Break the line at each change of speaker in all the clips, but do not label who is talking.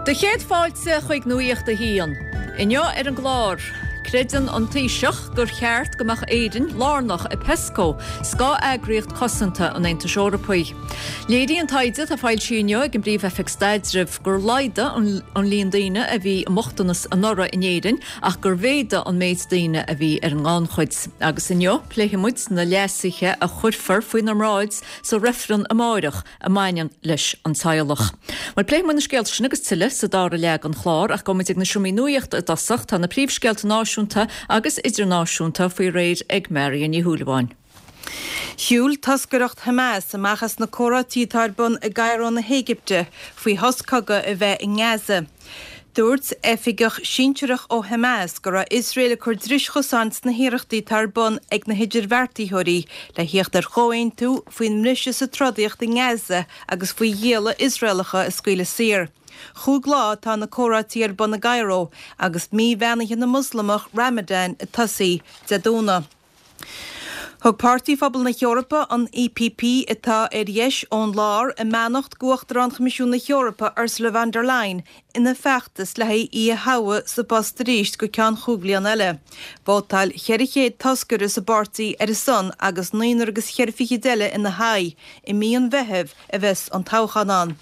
Do chéad fáilte chuig Nuacht a hAon. Inniu ar an gclár, creideann an Taoiseach gur cheart go mbeadh Éirinn lárnach i Pesco, scáth-eagraíocht cosanta an Aontais Eorpaigh. Léiríonn taighde atá foilsithe inniu ag an bPríomh-Oifig Staidrimh gur laghdaigh an líon daoine a bhí i mbochtanas anuraidh in Éirinn ach gur mhéadaigh an méid daoine a bhí ar an ngannchuid. Agus inniu, pléifidh muid na leasuithe a chuirfear faoinár mbráid sa reifreann amáireach a mbaineann leis an teaghlach. Bhuel, pléifidh muid na scéalta sin agus tuilleadh sa dara leath den chlár, ach gabhfaidh muid ag na seomraí nuachta i dtosach. Tá na príomhscéalta náisiúnta agus idirnáisiúnta faoi réir ag Marion Ní Shúilleabháin.
Shiúil toscaireacht Hamas amach as na comhráití atá ar bun i gCairo na hÉigipte faoi shos cogaidh a bheith i nGaza. Dúirt oifigeach sinsearach ó Hamas go raibh Iosrael ag cur dris chosáin sna hiarrachtaí atá ar bun ag na hidirbheartaitheoirí le thíocht ar chomhaontú faoin mbriseadh sa trodaíocht i nGaza agus faoi ghialla Iosraelacha a scaoileadh saor. Chúig lá atá na comhráití ar bun i gCairo agus mí bheannaithe na Moslamach, Ramadan, ag tosaí Dé Domhnaigh. Thug Páirtí Phobal na hEorpa, an EPP, atá ar dheis ón lár, a mbeannacht d'Uachtarán Choimisiún na hEorpa, Ursula von der Leyen, ina feachtas le haghaidh í a thoghadh sa bpost arís go ceann chúig bhliana eile. Vótáil 400 toscaire sa bpáirtí ar a son agus naonúr agus cheithre fichid eile ina haghaidh. I mí an Mheithimh a bheas an toghchán ann.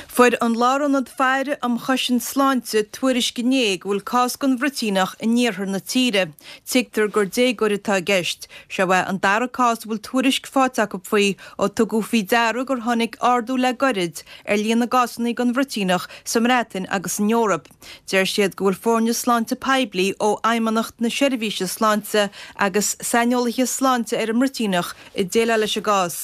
Fuair an Lárionad Faire um Chosaint Sláinte tuairisc inné go bhfuil cás den bhruitíneach in iarthar na tíre. Tuigtear gur déagóir atá i gceist. Seo é an dara cás a bhfuil tuairisc faighte acu faoi ó tugadh faoi deara gur tháinig ardú le gairid ar líon na gcásanna den bhruitíneach sa mBreatain agus san Eoraip. Deir siad go bhfuil foirne sláinte poiblí ó Fheidhmeannacht na Seirbhíse Sláinte agus saineolaithe sláinte ar an mbruitíneach ag déileáil leis an gcás.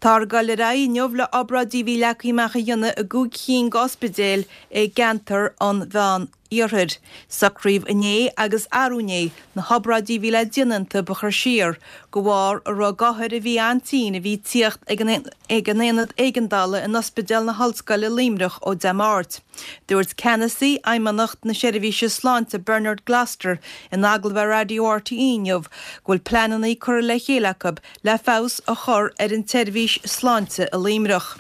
Táthar ag dul ar aghaidh inniu le obráidí a bhí leagtha amach a dhéanamh i gcúig chinn d'ospidéil i gceantar an Mheán Iarthair. Socraíodh inné agus arú inné na hobráidí a bhí le déanamh iontu a chur siar, de bharr a raibh d'othair a bhí an-tinn a bhí ag tíocht ag an aonad éigeandála in Ospidéal na hOllscoile Luimneach ó Dé Máirt. Dúirt ceannasaí Fheidhmeannacht na Seirbhíse Sláinte Bernard Gloster in agallamh ar Raidió RTÉ inniu go bhfuil pleananna curtha le chéile acu le feabhas a chur ar an tseirbhís sláinte i Luimneach.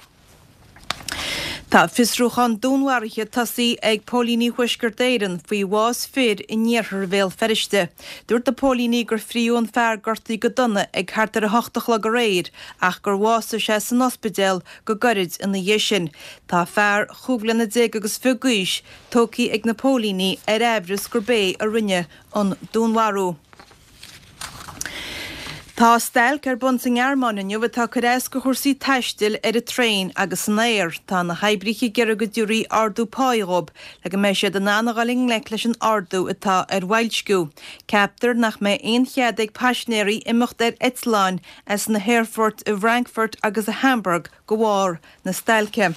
Tá fiosrúchán dúnmharaithe tosaithe ag póilíní Thuaisceart Éireann faoi bhás fir in iarthar Bhéal Feirste. Dúirt na póilíní gur fríodh an fear gortaithe go dona ag thart ar 8 a chlog aréir ach gur bhásaigh sé san ospidéal go gairid ina dhiaidh sin. Tá fear chúig bhliana déag agus fiche d'aois tógtha ag na póilíní ar aimhreas gurb é a rinne an dúnmharú. Tá stailc ar bun sa nGearmáin inniu atá ag cur as do chúrsaí taistil ar an traein agus san aer. Tá na hoibrithe ag iarraidh go dtabharfaí ardú páí dhóibh le go mbeidh siad in ann a dhul i ngleic leis an ardú atá ar bhoilsciú. Ceaptar nach mbeidh aon chead ag paisinéirí imeacht ar eitleáin as na haerfoirt i bhFrankfurt agus i Hamburg de bharr na stailce.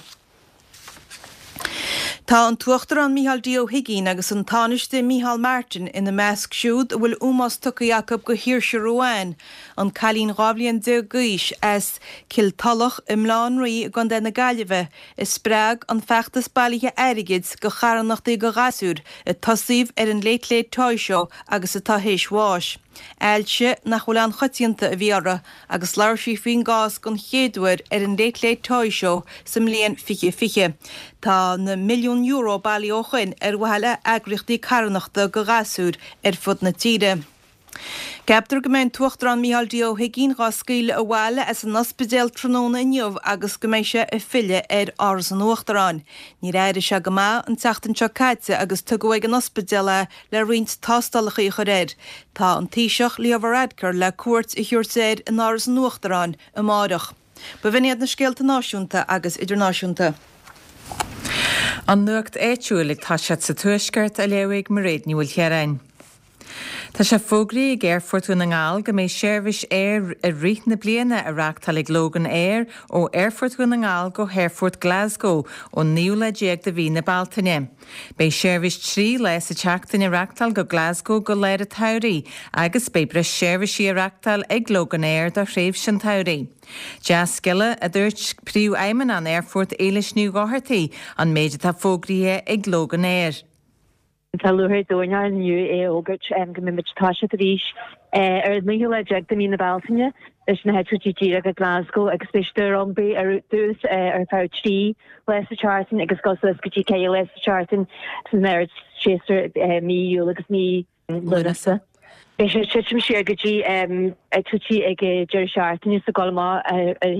Tá an tUachtarán Micheál D. Ó hUigínn agus an Tánaiste Micheál Martin ina measc siúd a bhfuil ómós tugtha acu do Shaoirse Ruane, an cailín 12 bhliain d'aois as Cill Tulach i mBaile Átha an Rí i gContae na Gaillimhe a spreag an feachtas bailithe airgid do charthanachtaí do ghasúir a tosaíodh ar an Late Late Toy Show agus atá théis bháis. Ailse nach bhfuil an-choitianta a bhí uirthi agus labhair sí faoin gcás den chéad uair ar an Late Late Toy Show sa mbliain 2020. Tá na milliúin euro bailithe ó shoin ar mhaithe le heagraíochtaí carthanachta do ghasúir ar fud na tíre. Ceaptar go mbeidh an tUachtarán Micheál D. Ó hUigínn dhá scaoileadh abhaile as an ospidéal tráthnóna inniu agus go mbeidh sé ag filleadh ar Áras an Uachtaráin. Níor éirigh sé go maith an tseachtain seo caite agus tugadh ag an ospidéal é le roinnt tástálacha a chur air. Tá an Taoiseach Leo Varadkar le cuairt a thabhairt air in Áras an Uachtaráin amáireach. B'in iad na scéalta náisiúnta agus idirnáisiúnta.
An nuacht áitiúil ag toiseacht sa Tuaisceart á léamh ag Mairéad Ní Mhaoilchiaráin. Tá sé fógraithe ag Aerfort Dhún na nGall go mbeidh seirbhís aeir i rith na bliana á reáchtáil ag Loganair ó Aerfort Dhún na nGall go hAerfort Glasgow ón naoú lá déag de mhí na Bealtaine. Beidh seirbhís 3 lá sa tseachtain á reáchtáil go Glasgow go lár an tsamhraidh agus beidh breis seirbhísí á reáchtáil ag Loganair do thréimhse an tsamhraidh. Dea-scéala, a dúirt Príomhfheidhmeannach an Aerfoirt Éilis Ní Dhochartaigh, an méid atá fógraithe ag Loganair.
Tá lúcháir ar domhan orainn inniu é a fhógairt go mbeidh muid ag toiseacht arís ar an naoú lá déag de mhí na Bealtaine. leis na heitiltí díreach go Glasgow agus beidh siad ar iompraí ar dtús ar feadh 3 lá sa tseachtain agus dul suas go dtí 4 lá sa tseachtain san ardséasúr mí Iúil agus mí Lúnasa. Beidh sé ag titim siar go dtí eitiltí ag deireadh seachtaine so ag dul amach ar Dé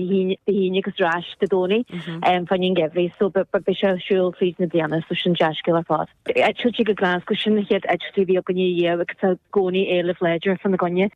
hAoine agus ar ais Dé Domhnaigh fá choinne an gheimhridh so beidh sé ar siúl fríd na bliana so sin dea-scéal ar fad. Eitiltí go Glasgow sin na chéad eitiltí a bhí againne riamh agus tá i gcónaí éileamh láidir fána gcoinne.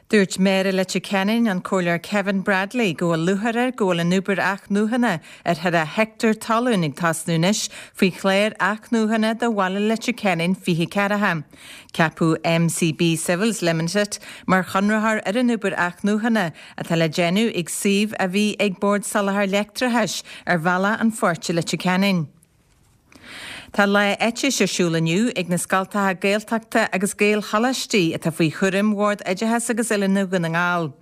Dúirt Méara Leitir Ceanainn, an Comhairleoir Kevin Bradley, go bhfuil lúcháir air go bhfuil an obair athnuachana ar cheithre heicteár talún ag tosnú anois faoi chlár athnuachana do bhaile Leitir Ceanainn 20 ceathracha. Ceapadh MCB Civils Limited mar chonraitheoir ar an obair athnuachana atá le déanamh ag suíomh a bhí ag Bord Soláthair Leictreachais ar Bhealach an Phoirt i Leitir Ceanainn. Tá Lá Eitis ar siúl inniu ag na scoltacha Gaeltachta agus Gaelcholáistí atá faoi chúram Bhord Oideachais agus Oiliúna Dhún na nGall.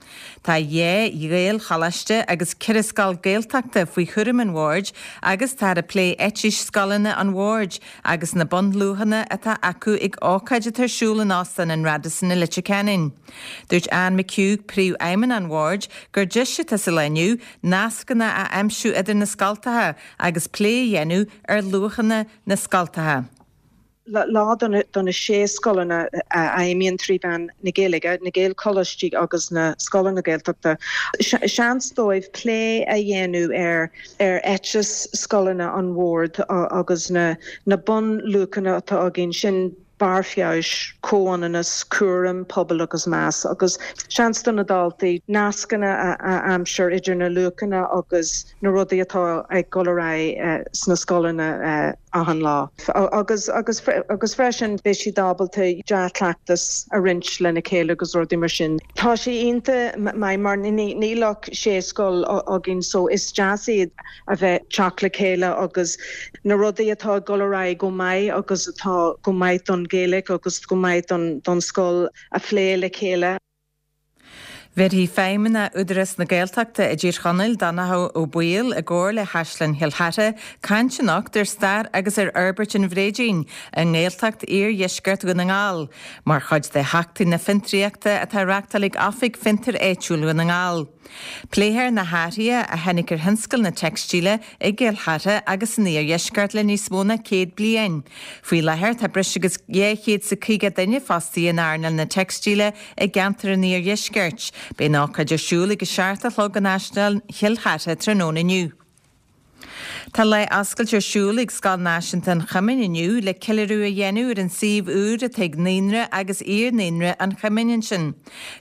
Tá dhá Ghaelcholáiste agus ceithre scoil Gaeltachta faoi chúram an Bhoird agus táthar ag plé eitis scoileanna an Bhoird agus na bunluachanna atá acu ag ócáid atá ar siúl in Óstán an Radisson i Leitir Ceanainn. Dúirt Anne McHugh, Príomhfheidhmeannach an Bhoird, gur deis atá sa lá inniu nascanna a aimsiú idir na scoltacha agus plé a dhéanamh ar luachanna na scoltacha.
Lá do na sé scoileanna a fheidhmíonn trí mheán na Gaeilge, na Gaelcholáistí agus na scoileanna Gaeltachta, seans dóibh plé a dhéanamh ar ar eiteas scoileanna an Bhoird agus na bunluachanna atá againn, sin barr feabhais, comhionannas, cúram, pobal agus meas, agus seans do na daltaí nascanna a aimsiú idir na luachanna agus na rudaí atá ag dul ar aghaidh sna scoileanna achan lá. Agus agus agus freisin beidh siad ábalta dea-chleachtas a roinnt lena chéile agus rudaí mar sin. Tá sé iontach maith mar níl ach sé scoil againn so is deas iad a bheith teacht le chéile agus na rudaí atá ag dul ar aghaidh go maith agus atá go maith don Ghaeilge agus go maith don scoil a phlé le chéile.
Bhéarfaidh Feidhmeannach Údarás na Gaeltachta i dTír Chonaill, Donnchadh Ó Baoill, i gcomhar le hÁislann Chill Chartha, caint anocht ar stair agus ar fhorbairt an bhréidín i nGaeltacht Iardheisceart Dhún na nGall, mar chuid de Sheachtain na Fiontraíochta atá á reáchtáil ag Oifig Fiontair Áitiúil Dhún na nGall. Pléifear na hathruithe a tháinig ar thionscal na teicstíle i gCill Chartha agus san iardheisceart le níos mó ná 100 bliain. Faoi láthair tá breis agus 250 duine fostaithe in earnáil na teicstíle i gceantar an iardheiscirt. Beidh an ócáid ar siúl ag a 7 a chlog in Áislann Chill Chartha tráthnóna inniu. Tá lá oscailte ar siúl ag Scoil Náisiúnta an Choimín inniu le ceiliúradh a dhéanamh ar an suíomh úr atá ag Naíonra agus Iar-Naíonra an Choimín ansin.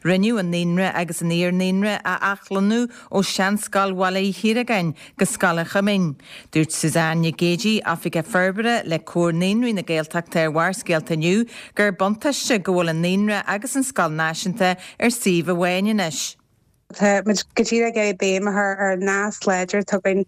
Rinneadh an Naíonra agus an Iar-Naíonra a athlonnú ó sheanscoil Bhaile Uí Chiaragáin go Scoil an Choimín. Dúirt Suzanne Nic Géidigh, Oifigeach Forbartha le Comhar Naíonraí na Gaeltachta ar Bharrscéalta inniu gur buntáiste go bhfuil an Naíonra agus an Scoil Náisiúnta ar suíomh amháin anois.
Tá muid go díreach ag iarraidh béim a chur ar an nasc láidir atá againn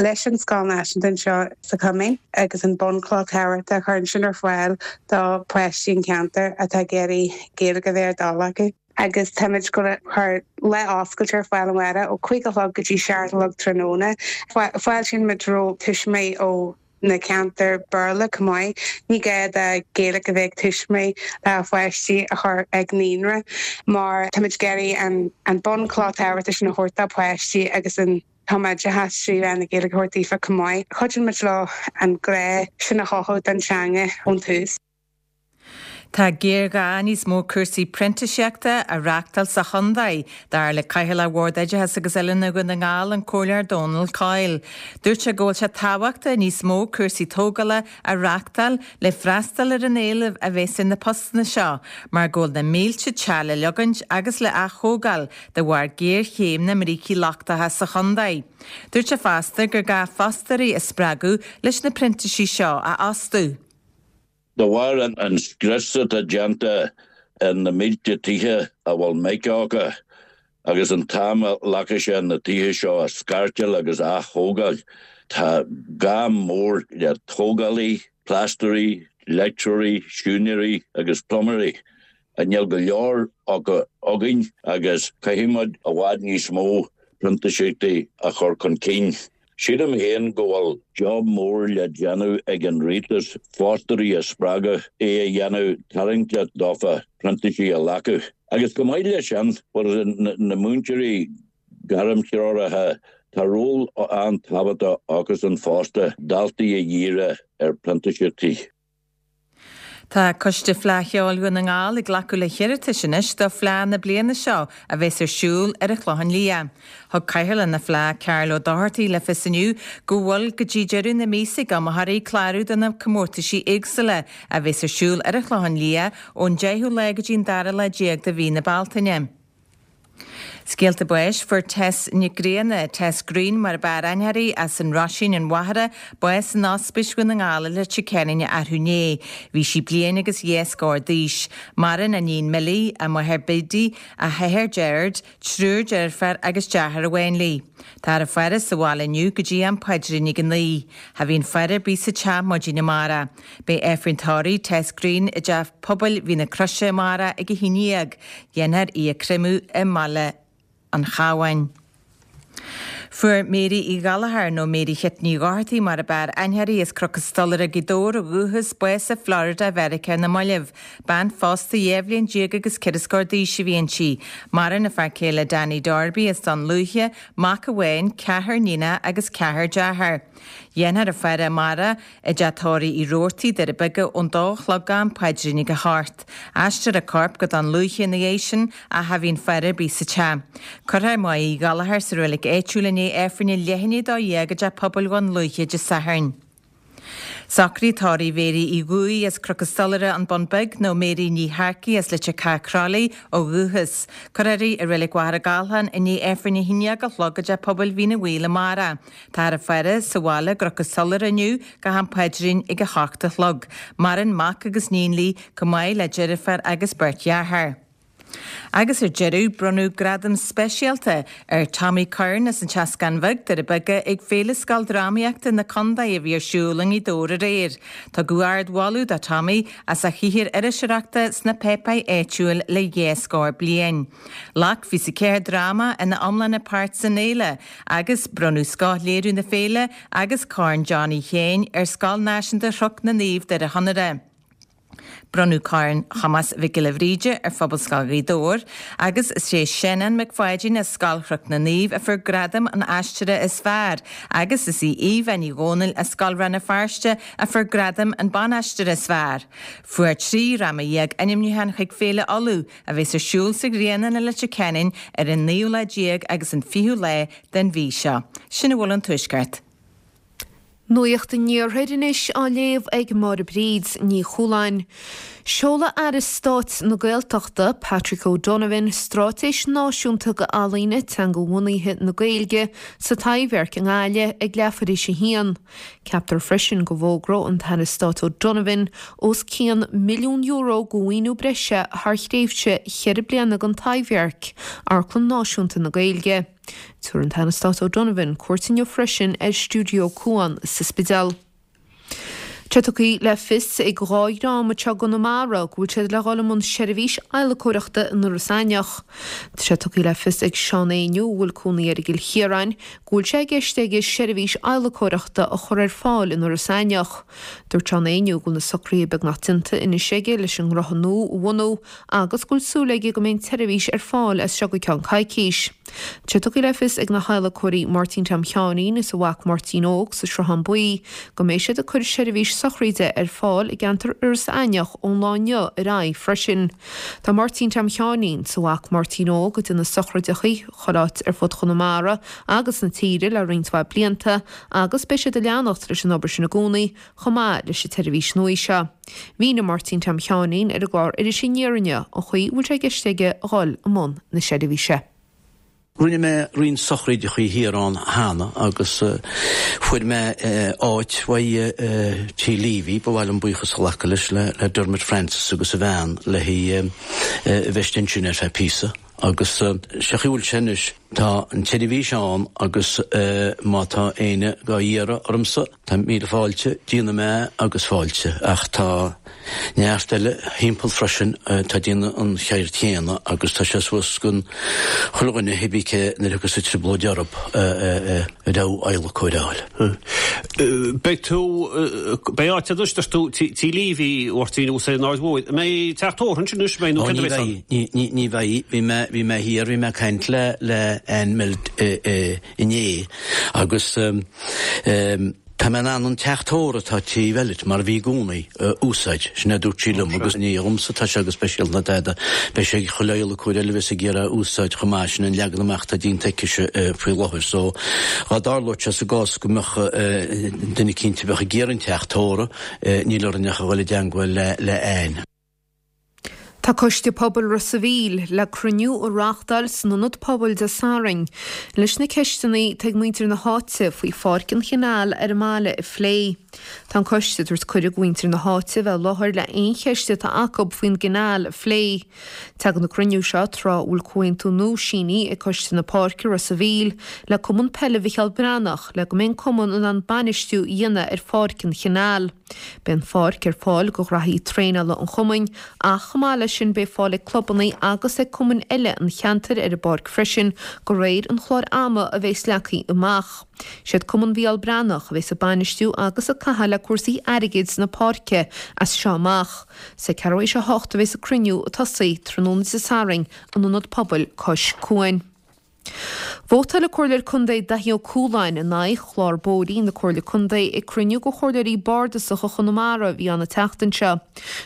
leis an Scoil Náisiúnta anseo sa Choimín agus an bunchloch thábhachtach a chuireann sin ar fáil do pháistí an cheantair atá ag iarraidh Gaeilge a bheith ar a dtoil acu. Agus táimid ag cur lá oscailte ar fáil amárach ó 5 a chlog go dtí 7 a chlog tráthnóna. Fáiltíonn muid roimh tuismitheoirí ó na ceantair Béarla chomh maith. Ní gá do Gaeilge a bheith ag tuismitheoirí le pháistí a chur ag naíonra mar táimid ag iarraidh an bunchloch tábhachtach sin a thabhairt do pháistí agus an tumoideachas trí mheán na Gaeilge a thabhairt daofa chomh maith. Cuidíonn muid leo an grá sin a chothú don teanga ón tús.
Tá géarghá níos mó cúrsaí printíseachta a reáchtáil sa chontae, dar le Cathaoirleach Bhord Oideachais agus Oiliúna Dhún na nGall, an Comhairleoir Dónal Coyle. Dúirt sé go bhfuil sé tábhachtach níos mó cúrsaí tógála a reáchtáil le freastal ar an éileamh a bheas ar na postanna seo, mar go bhfuil na mílte teach le leogaint agus le ath-thógáil de bharr géarchéim na mbrící lochtacha sa chontae. Dúirt sé fosta gur gá fostóirí a spreagadh leis na printísigh seo a fhostú.
De bharr an scrios atá déanta ar na mílte tithe a bhfuil mica acu agus an t-am a ghlacfaidh sé na tithe seo a scairteáil agus a ath-thógáil, tá gá mór le tógálaí, plaisteoirí, leictreoirí, siúinéirí agus pluiméirí. Níl go leor acu againn agus caithfidh muid i bhfad níos mó printíseachtaí a chur chun cinn. Sílim féin go bhfuil job mór le déanamh ag an rialtas fostóirí a spreagadh é a dhéanamh tarraingteach dófa printísigh a ghlacadh. Agus chomh maith leis sin, bhuel, na múinteoirí gairmthreoraithe, tá ról an-tábhachtach acusan fosta daltaí a dhíriú ar printíseachtaí.
Tá Coiste Fleadh Cheoil Dhún na nGall ag glacadh le hiarratais anois do Fleadh na bliana seo a bheas ar siúl ar an Chlochán Liath. Thug Cathaoirleach na Fleadh, Karl Ó Dochartaigh le fios inniu go bhfuil go dtí deireadh na míosa ag iomaitheoirí clárú do na comórtaisí éagsúla a bheas ar siúl ar an Chlochán Liath ón 10ú lá go dtí an dara lá déag de mhí na Bealtaine. Scéalta báis, Fuair Tess Nic Grianna, Tess Greene mar ab fhearr aithne uirthi, as an Roisín, an Mhachaire, bás in Ospís Dhún na nGall i Leitir Ceanainn arú inné. Bhí sí bliain agus dhá scór d'aois. Maireann a níon Millie, a máthair Biddy, a hathair Gerard, triúr deirféar agus deartháir amháin léi. Táthar á faire sa bhaile inniu go dtí am paidrín ag a 9. Cha bhíonn faire ar bith sa teach maidin amárach. Beidh Aifreann tórraimh Tess Greene i dTeach Pobail Mhín na Croise amárach ag 11. Dhéanfar í a chreimeadh i mBaile an Chabháin. Fuair Mary Uí Ghallchóir, nó Mary Chit Ní Dhochartaigh mar ab fhearr aithne uirthi, as Cnoc an Stolaire, Gaoth Dobhair ó dhúchas, bás i Florida Mheiriceá ar na mallaibh. Bean phósta 12 bhliain agus ceithre scór d'aois a bhí inti. Maireann a fear céile Danny Darby as Dún Lúiche, mac amháin, ceathrar níonacha agus ceathrar dearthár. Dhéanfar a faire amárach i dteach tórraimh Uí Robhartaigh, Doire Beaga, ón dó a chlog go am paidrín ag a hocht. Aistreofar a corp go Dún Lúiche ina dhiaidh sin ach cha bhíonn faire ar bith sa teach. Cuirfear Máire Uí Ghallchóir sa reilig áitiúil i ndiaidh Aifrinn a leath i ndiaidh 12 i dTeach Pobail Dhún Lúiche Dé Sathairn. Socruithe tórraimh Mhéirí Uí Dhúill as Cnoc an Stolaire, An Bun Beag, nó Mary Ní Shearcaigh as Leitir Ceatha Crolly ó dhúchas. Cuirfear í i Reilig Mhachaire Gathlán i ndiaidh Aifrinn 11 a chlog i dTeach Pobail Mhín an Mhaoil amárach. Táthar á faire sa bhaile i gCnoc an Stolaire inniu go ham paidrín ag a hocht a chlog. Maireann mac agus níon léi, chomh maith le deirfiúr agus beirt dhearthár. Agus ar deireadh, bronnadh gradam speisialta ar Tommy Curran as an tSeascán Bheag, Doire Beaga, ag Féile Scoildrámaíochta na Condae a bhí ar siúl i nGaoth Dobhair aréir. Tugadh ard-mholadh do Tommy as a shaothar iriseoireachta sna páipéir áitiúil le dhá scór bliain. Ghlac 24 dráma ina iomláine páirt san fhéile agus bronnadh scoth-léiriú na féile agus Corn Johnny Sheáin ar Scoil Náisiúnta Chnoc na Naomh, Doire Chonaire. Bronnadh Corn Thomáis Mhic Giolla Bhríde ar Phobalscoil Ghaoth Dobhair agus is é Seanán Mac Pháidín as Scoil Chnoc na Naomh a fuair gradam an aisteora is fearr agus is í Aoibheann Ní Dhomhnaill as Scoil Rann na Feirste a fuair gradam an ban-aisteora is fearr. Fuair 13 dhráma ainmniúchán chuig Féile Uladh a bheas ar siúl sa Ghrianán i Leitir Ceanainn ar an naoú lá déag agus an fichiú lá den mhí seo. Sin a bhfuil ón Tuaisceart.
Nuacht an Iarthair anois á léamh ag Máire Bríd Ní Chualáin. Seolfaidh Aire Stáit na Gaeltachta, Patrick O'Donovan, Straitéis Náisiúnta d'Ealaíona Teangabhunaithe na Gaeilge sa Taibhdhearc i nGaillimh ag leathuair théis a haon. Ceaptar freisin go bhfógróidh an tAire Stáit O'Donovan os cionn €1 milliún de mhaoiniú breise thar thréimhse cheithre bliana don Taibhdhearc, Amharclann Náisiúnta na Gaeilge. Tabharfaidh an tAire Stáit O'Donovan cuairt inniu freisin ar Stiúideo Cuan sa Spidéal. Tá tugtha le fios ag dhá dhream atá i gConamara go bhfuil siad le dhul i mbun seirbhís adhlacóireachta in Iorras Aithneach. Tá sé tugtha le fios ag Seán Éinniú, a bhfuil cónaí air i gCill Chiaráin, go bhfuil sé i gceist aige seirbhís adhlacóireachta a chur ar fáil in Iorras Aithneach. Dúirt Seán Éinniú go bhfuil na socruithe beagnach déanta anois aige leis an ngnótha nua a bhunú agus go bhfuil súil aige go mbeidh an tseirbhís ar fáil as seo go ceann coicís. Tá sé tugtha le fios ag na hadhlacóirí Máirtín Tom Sheáinín is a mhac Máirtín Óg sa Sruthán Buí go mbeidh siad ag cur seirbhís sochraide ar fáil i gceantar Iorras Aithneach ón lá inniu ar aghaidh freisin. Tá Máirtín Tom Sheáinín 's a mhac Máirtín Óg ag déanamh sochraideachaí chuile áit ar fud Chonamara agus na tíre le roinnt mhaith blianta agus beidh siad ag leanacht leis an obair sin i gcónaí chomh maith leis an tseirbhís nua seo. Mhínigh Máirtín Tom Sheáinín ar an gclár Iris Aniar inniu an chaoi a bhfuil sé i gceist aige a dhul i mbun na seirbhíse.
Rinne mé roinnt sochraídeachaí thiar ann cheana agus fuair mé áit uaidh Tí Leavy, ba mhaith liom buíochas a ghlacadh leis, le Dermot Francis agus a bhean le haghaidh a bheith istigh ansin ar feadh píosa. Agus sé chaoi a bhfuil sé anois. Tá an tseirbhís ann agus má tá éinne dhá iarraidh ormsa, tá míle fáilte, déanfaidh mé é agus fáilte. Ach tá neart eile thimpeall freisin atá ag déanamh an cheird chéanna agus tá sé suas gon chuile dhuine cibé cé nuair a thiocfas an trioblóid orthub a raibh adhlacóir a fháil.
Beidh tú, beidh áit agat, dúirt tú, Tí Leavey, a Mháirtín, thuas ar an Aird Mhóir. An mbeidh teach tórraimh ansin anois, an mbeidh, nó céard a bheas ann?
Ní bheidh, ní bheidh. Bhí mé, bhí mé thiar, bhí mé ag caint le, le Anne Milt inné agus tá mé in ann an teach tórraimh atá taobh eile mar a bhí i gcónaí a úsáid, sin é a dúirt sí liom agus ní dhomsa atá sé go speisialta ná tada, beidh sé ag chuile adhlacóir eile a bheas ag iarraidh a úsáid chomh maith, sin an leagan amach atá déanta aicise faoi láthair so dhá dtarlódh sé sa gcás go mbeadh duine eicínt a bheadh ag iarraidh an teach tórraimh, níl orainn ach a dhul i dteangmháil le Anne.
Tá Coiste Pobail Ros a' Mhíl le cruinniú a reáchtáil san Ionad Pobail Dé Sathairn leis na ceisteanna atá ag muintir na háite faoi Pháirc an Chanáil ar an mbaile a phlé. Tá an coiste ag tabhairt cuireadh do mhuintir na háite a bheith i láthair le aon cheist atá acu faoin gcanáil a phlé. Tagann an cruinniú seo tráth a bhfuil comhaontú nua sínithe ag Coiste na Páirce Ros a' Mhíl le Cumann Peile Mhicheál Breathnach le go mbeidh an cumann in ann bainistiú a dhéanamh ar Pháirc an Chanáil. Beidh an pháirc ar fáil do ghraithí traenála an chumainn ach chomh maith leis sin beidh fáil ag clubanna agus ag cumainn eile an cheantair ar an bpáirc freisin de réir an chláir ama a bheas leagtha amach. Siad Cumann Mhicheál Breathnach a bheas ag bainistiú agus ag caitheamh le cúrsaí airgid na páirce as seo amach. Is ag ceathrú théis a hocht a bheas an cruinniú ag tosaí tráthnóna Dé Sathairn in Ionad Pobail cois Cuain. Vótáil an Comhairleoir Contae Daithí Ó Cualáin in aghaidh chlár bóithrí na Comhairle Contae ag cruinniú de Chomhairleoirí Bardasacha Chonamara a bhí ann an tseachtain seo.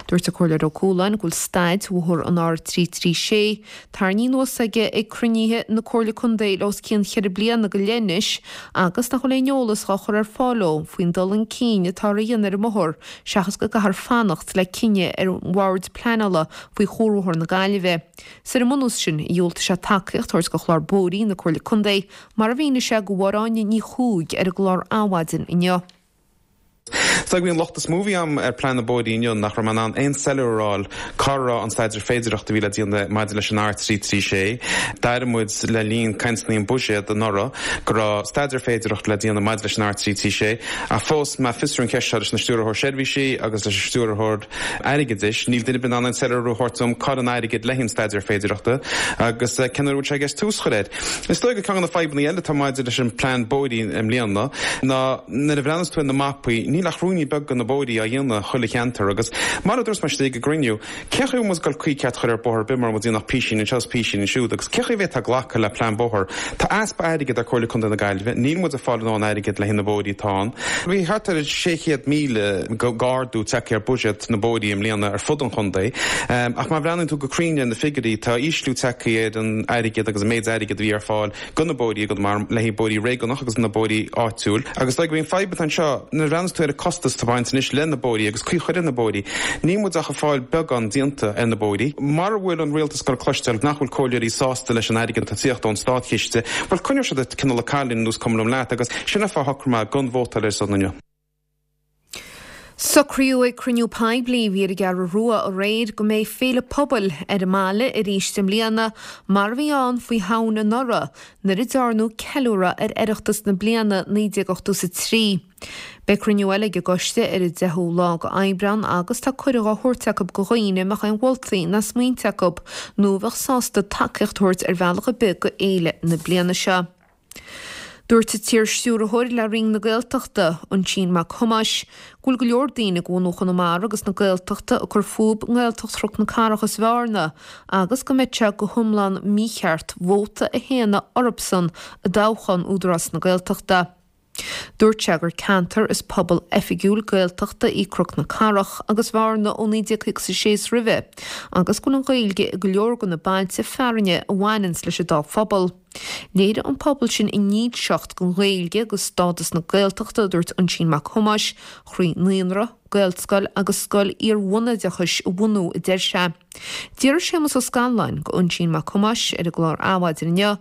Dúirt an Comhairleoir Ó Cualáin go bhfuil staid bhóthar an R336 tarraingthe anuas aige ag cruinnithe na Comhairle Contae le os cionn cheithre bliana go leith anois agus nach bhfuil aon eolas dhá chur ar fáil leo faoin dul chun cinn atáthar a dhéanamh ar an mbóthar seachas go gcaithfear fanacht le cinneadh ar an Bhord Pleanála faoi Chuarbhóthar na Gaillimhe. 'S ar an mbunús sin, dhiúltaigh sé tacaíocht a thabhairt do chlár bóithrí na Comhairle Contae, mar a mhínigh sé do Mháire Áine Ní Chuaig ar an gclár Adhmhaidin inniu.
Is dóigh gurb í an locht is mó a bhí agam ar plean na bóithrí inniu nach raibh mé in ann aon soiléiriú a fháil cá raibh an staidéar féidireachta a bhí le déanamh maidir leis an R336. D'airigh muid le linn cainteanna an buiséad anuraidh go raibh staidéar féidireachta le déanamh maidir leis an R336 ach fós mé ag fiosrú an cheist seo leis an Stiúrthóir Seirbhísí agus leis an Stiúrthóir Airgeadais, níl duine ar bith in ann aon soiléiriú a thabhairt dom cá bhfuil an airgead le haghaidh an staidéar féidireachta agus cén uair a bhfuil sé i gceist tús a chur air. Is dóigh gur ceann de na fadhbanna eile atá maidir leis an plean bóithrí i mbliana ná nuair a bhreathnaíos tú ar na mapaí níl ach ruainní beaga de na bóithrí á dhéanamh chuile cheantar agus mar a dúirt mé istigh ag an gcruinniú, Cén chaoi a bhfuil muid ag dul caoi ceart a chur ar bóthar ar bith mura bhfuil muid ag déanamh písín anseo is písín ansiúd agus cén chaoi a bhféadfá glacadh le plean bóthair? Tá easpa airgid ar Comhairle Contae na Gaillimhe, níl muid ag fáil a ndóthain airgid le haghaidh na bóithrí atá ann. Bhí thart ar 600,000 d'ardú tagtha ar buiséad na bóithrí i mbliana ar fud an chontae ach má bhreathnaíonn tú go cruinn ar na figiúirí tá ísliú tagtha ar an airgead agus an méid airgid a bhí ar fáil do na bóithrí i gConamara le haghaidh bóithrí réigiúnach agus na bóithrí áitiúil. Agus is dóigh gurb í an fadhb atá anseo, nuair a bhreathnaíos tú ar an costas atá ag baint anois le na bóithrí agus caoi a chur ar na bóithrí, níl muid ach ag fáil beagán déanta ar na bóithrí. Mara bhfuil an rialtas ag dul cloisteáil nach bhfuil comhairleoirí sásta leis an airgead atá ag tíocht ón státchiste, bhuel coinneoidh siad cineál ag cailín anuas cuma liom leat agus sin an fáth a shocraigh mé gan vótáil ar a son inniu.
Socraíodh ag cruinniú poiblí a bhí ar an gCeathrú Rua aréir go mbeidh féile pobail ar an mbaile arís i mbliana mar a bhí ann faoi Shamhain anuraidh nuair a dearnadh ceiliúradh ar Oireachtas na bliana 1983. Beidh cruinniú eile ag an gcoiste ar an 10ú lá go Aibreán agus tá cuireadh á thabhairt acu go dhaoine a mbeadh aon mholtaí ná smaointe acu nó a bheadh sásta tacaíocht a thabhairt ar bhealach ar bith go fhéile na bliana seo. Dúirt an t-iar-stiúrthóir le Roinn na Gaeltachta, Oisín Mac Thomáis, go bhfuil go leor daoine de bhunú Chonamara agus na Gaeltachta ag cur fúb i nGaeltacht Chnoc na Cathrach is Bhearna agus go mbeadh sé go hiomlán mícheart vóta a shéanadh orthubsan i dtoghchán Údarás na Gaeltachta. Dúirt sé gur ceantar is pobal oifigiúil Gaeltachta í Cnoc na Cathrach agus Bhearna ó 1956 is roimhe agus go bhfuil an Ghaeilge i go leor de na bailte fearainne a bhaineanns leis an dá phobal. Léirigh an pobal sin a ndílseacht don Ghaeilge agus stádas na Gaeltachta, a dúirt Oisín Mac Thomáis, thrí naíonra, Gaelscoil agus scoil iar-bhunoideachais a bhunú, a deir sé. D'fhiafraigh Séamus Ó Scanláin de Oisín Mac Thomáis ar an gclár Adhmhaidin inniu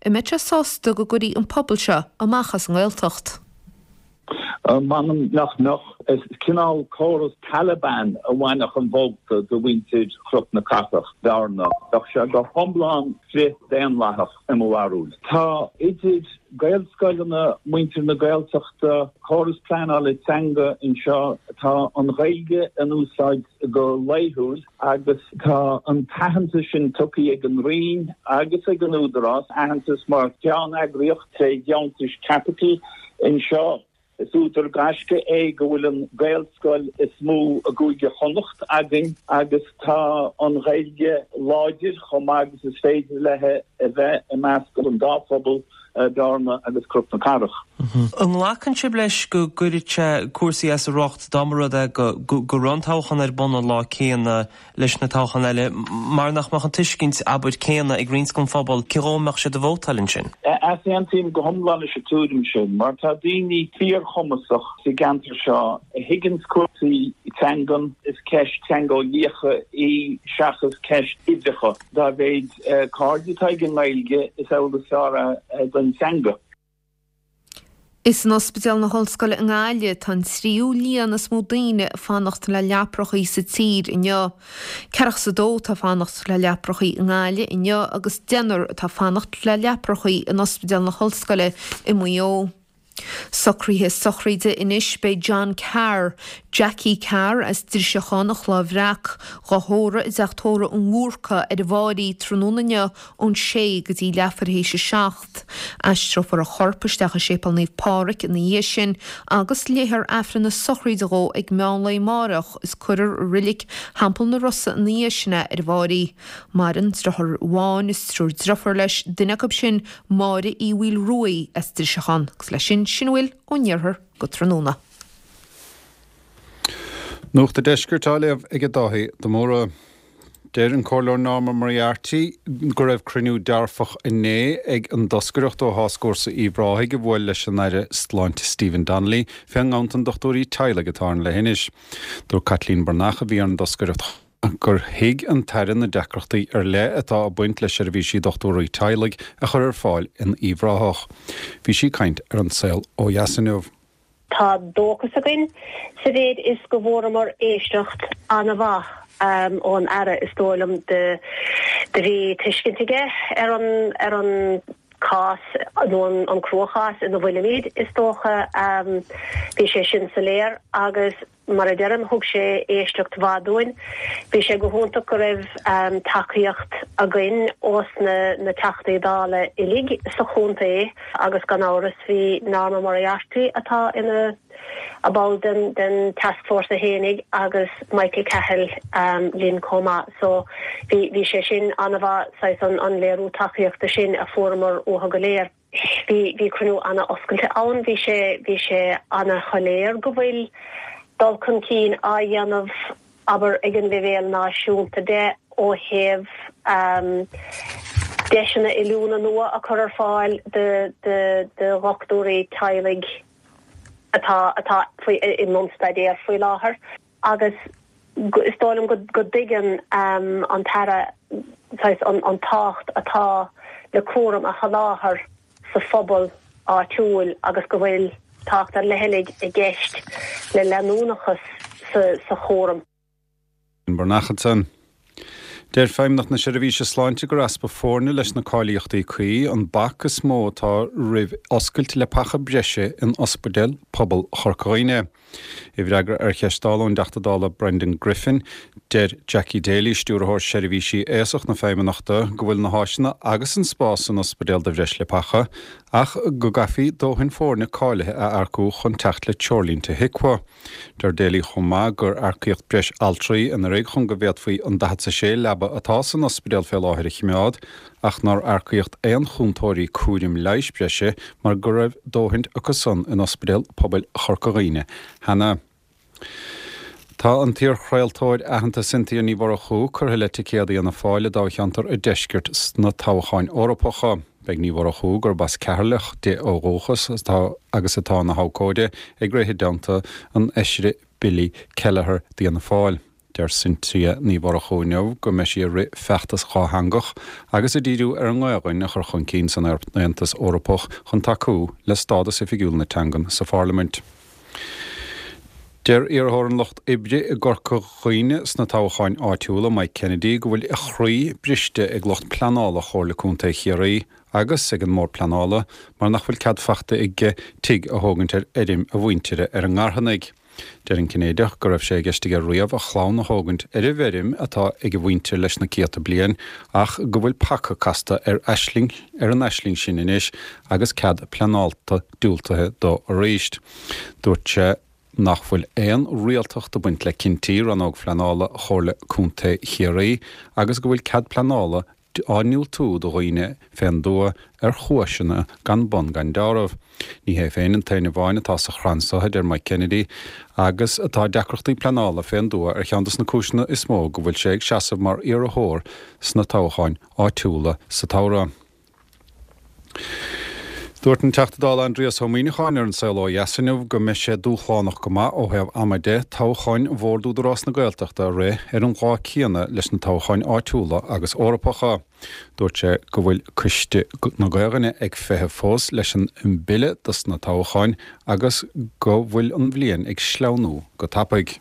an mbeadh sé sásta go gcuirfí an pobal seo amach as an nGaeltacht.
M'anam nach mbeadh. Is cineál córas Taliban a bhainfeadh an vóta de mhuintir Chnoc na Cathrach, Bearna. Bheadh sé go hiomlán frith-daonlathach i mo bharúil. Tá idir Gaelscoileanna, muintir na Gaeltachta, córas pleanála teanga anseo, tá an Ghaeilge in úsáid go laethúil agus tá an t-aitheantas sin tugtha ag an Roinn agus ag an Údarás, aitheantas mar cheanneagraíocht tré dheontais caipitil anseo. Is údar gaisce é go bhfuil an Gaelscoil is mó i gCúige Chonnacht againn agus tá an Ghaeilge láidir chomh maith agus is féidir léi a bheith i measc an dá phobal, Bearna agus Cnoc na Cathrach.
An nglacann sibh leis go gcuirfeadh sé cúrsaí as a riocht dá mba rud é go go raibh an toghchán ar bun an lá céanna leis na toghcháin eile mar nach mbeadh an tuiscint, abair, céanna ag roinnt den phobal cé dhó a mbeadh siad ag vótáil ansin?
Easaontaím go hiomlán leis an tuairim sin mar tá daoine fíorchumasach sa gceantar seo a thuigeanns cúrsaí teangan. Is ceist teangeolaíocha í seachas ceist uimhreacha. Dá mhéid cairde atá ag an nGaeilge is amhlaidh is fearr é don teanga.
Is in Ospidéal na hOllscoile i nGaillimh atá an tríú líon is mó daoine ag fanacht le leaprachaí sa tír inniu. Ceathracha is a dó atá ag fanacht le leaprachaí i nGaillimh inniu agus deichniúr atá ag fanacht le leaprachaí in Ospidéal na hOllscoile i Maigh Eo. Socruithe sochraide anois Beidh John Carr, Jackie Carr as Driseachán an Chloich Bhreac, dhá thórramh i dTeach Tórraimh an Bhúrca ar an bhFáirí tráthnóna inniu ón sé go dtí leathuair théis a 7. Aistreofar a chorp isteach i Séipéal Naomh Pádraig ina dhiaidh sin agus léifear Aifreann na sochraide dhó ag meán lae amáireach is cuirfear i Reilig Theampall na Rosa ina dhiaidh sin é ar an bhFáirí. Maireann driotháir amháin is triúr driofúr leis, duine acu sin Máire Uí Mhaoilruaidh as Driseachán. Agus leis sin, sin a bhfuil ón iarthar go tráthnóna.
Nuacht an Deiscirt á léamh ag Dáithí de Mórdha. Deir an Comhairleoir Norma Moriarty go raibh cruinniú dearfach inné ag an dtoscaireacht ó Tháscfhórsa Uíbh Ráthaigh a bhuail leis an Aire Sláinte Stephen Donnelly fén nganntan dochtúirí teaghlaigh atá ar an leithinis. Dúirt Caitlín Breathnach a bhí ar an dtoscaireacht gur thuig an tAire na deacrachtaí ar leith atá ag baint le seirbhísí dochtúirí teaghlaigh a chur ar fáil in Uíbh Ráthach. Bhí sí ag caint ar An Saol Ó Dheas inniu.
Tá dóchas againn sa mhéid is go bhfuaireamar éisteacht an-mhaith ón Aire, is dóigh liom. Do bhí tuiscint aige ar an ar an cás nó an cruachás ina bhfuilimid, is dócha. Bhí sé sin soiléir agus. Mar a deirim, thug sé éisteacht mhaith dúinn. Bhí sé go hiontach go raibh tacaíocht againn ós na Teachtaí Dála uilig sa chontae agus gan amhras bhí Norma Moriarty atá ina ball den den tascfhórsa fhéinig agus Michael Cahill linn chomh maith. So bhí bhí sé sin an-mhaith, saghas an an léiriú tacaíochta sin a fuaireamar uathu go léir. Bhí, bhí cruinniú ana-oscailte ann, bhí sé, bhí sé ana-shoiléir go bhfuil dul chun cinn á dhéanamh, abair, ag an leibhéal náisiúnta de ó thaobh deiseanna oiliúna nua a chur ar fáil do, do, do dhochtúirí teaghlaigh atá, atá faoi, i mbun staidéir faoi láthair. Agus is dóigh liom go dtuigeann an tAire saghas an tábhacht atá le cúram a sholáthar sa phobal áitiúil agus go bhfuil tábhacht ar leith i gceist le leanúnachas sa chúram.
Breathnach ansan. Deir Feidhmeannacht na Seirbhíse Sláinte gur easpa foirne leis na cáilíochtaí cuí an bac is mó atá roimh oscailt leapacha breise in Ospidéal Pobail Chorca Dhuibhne. I bhfreagra ar cheist Dála ón dTeachta Dála Brendan Griffin, deir Jackie Daly, Stiúrthóir Seirbhísí Aosach na Feidhmeannachta, go bhfuil na háiseanna agus an spás san ospidéal do bhreis leapacha, ach go gcaithfí dóthain foirne cáilithe a earcú chun teacht le treoirlínte HIQA. Deir Daly chomh maith gur earcaíodh breis altraí anuraidh chun go bhféadfaí an 46 leaba atá san ospidéal fé láthair a chimeád, ach nár earcaíodh aon chúntóirí cúraim leighis breise mar go raibh dóthaint acu san in Ospidéal Pobail Chorca Dhuibhne cheana. Tá an t-iarchraoltóir aitheanta Cynthia Ní Mhurchú curtha le ticéad Fhianna Fáil i dtoghcheantar an Deiscirt sna toghcháin Eorpacha. Beidh Ní Mhurchú, gurb as Ceatharlach di ó dhúchas agus atá ina habhcóide, ag rith i dteannta an Fheisire Billy Kelleher d'Fhianna Fáil. Deir Cynthia Ní Mhurchú inniu go mbeidh sí ag rith feachtas dhátheangach agus ag díriú ar an nGaelainn a chur chun cinn san Aontas Eorpach chun tacú le stádas oifigiúil na teangan sa Pharlaimint. Deir iarrthóir an Lucht Oibre i gCorca Dhuibhne sna toghcháin áitiúla, Mike Kennedy, go bhfuil a chroí briste ag lucht pleanála Chomhairle Contae Chiarraí agus ag an mBord Pleanála mar nach bhfuil cead fachta aige tigh a thógaint ar fheirm a mhuintire ar an nGarthanaigh. Deir an Cinnéideach go raibh sé i gceist aige riamh a chlann a thógaint ar an bhfeirm atá ag a mhuintir leis na céadta bliain ach go bhfuil paca casta ar aisling ar an aisling sin anois agus cead pleanála diúltaithe dó arís. Dúirt sé nach bhfuil aon rialtacht ag baint le cinntí Rannóg Phleanála Chomhairle Contae Chiarraí agus go bhfuil cead pleanála á ndiúltú do dhaoine fén dtuath ar chúiseanna gan bun gan deáramh. Ní hé féin an t-aon amháin atá sa chrann so, a deir Mike Kennedy, agus tá deacrachtaí pleanála fén dtuath ar cheann dos na cúiseanna is mó go bhfuil sé ag seasamh mar iarrthóir sna toghcháin áitiúla sa tsamhradh. Dúirt an Teachta Dála Aindrias Ó Muimhneacháin ar An Saol Ó Dheas inniu go mbeidh sé dúshlánach go maith ó thaobh ama de toghcháin Bhord Údarás na Gaeltachta a rith ar an lá céanna leis na toghcháin áitiúla agus Eorpacha. Dúirt sé go bhfuil Coiste na Gaelainne ag feitheamh fós leis an mbille dos na toghcháin agus go bhfuil an bhliain ag sleamhnú go tapaidh.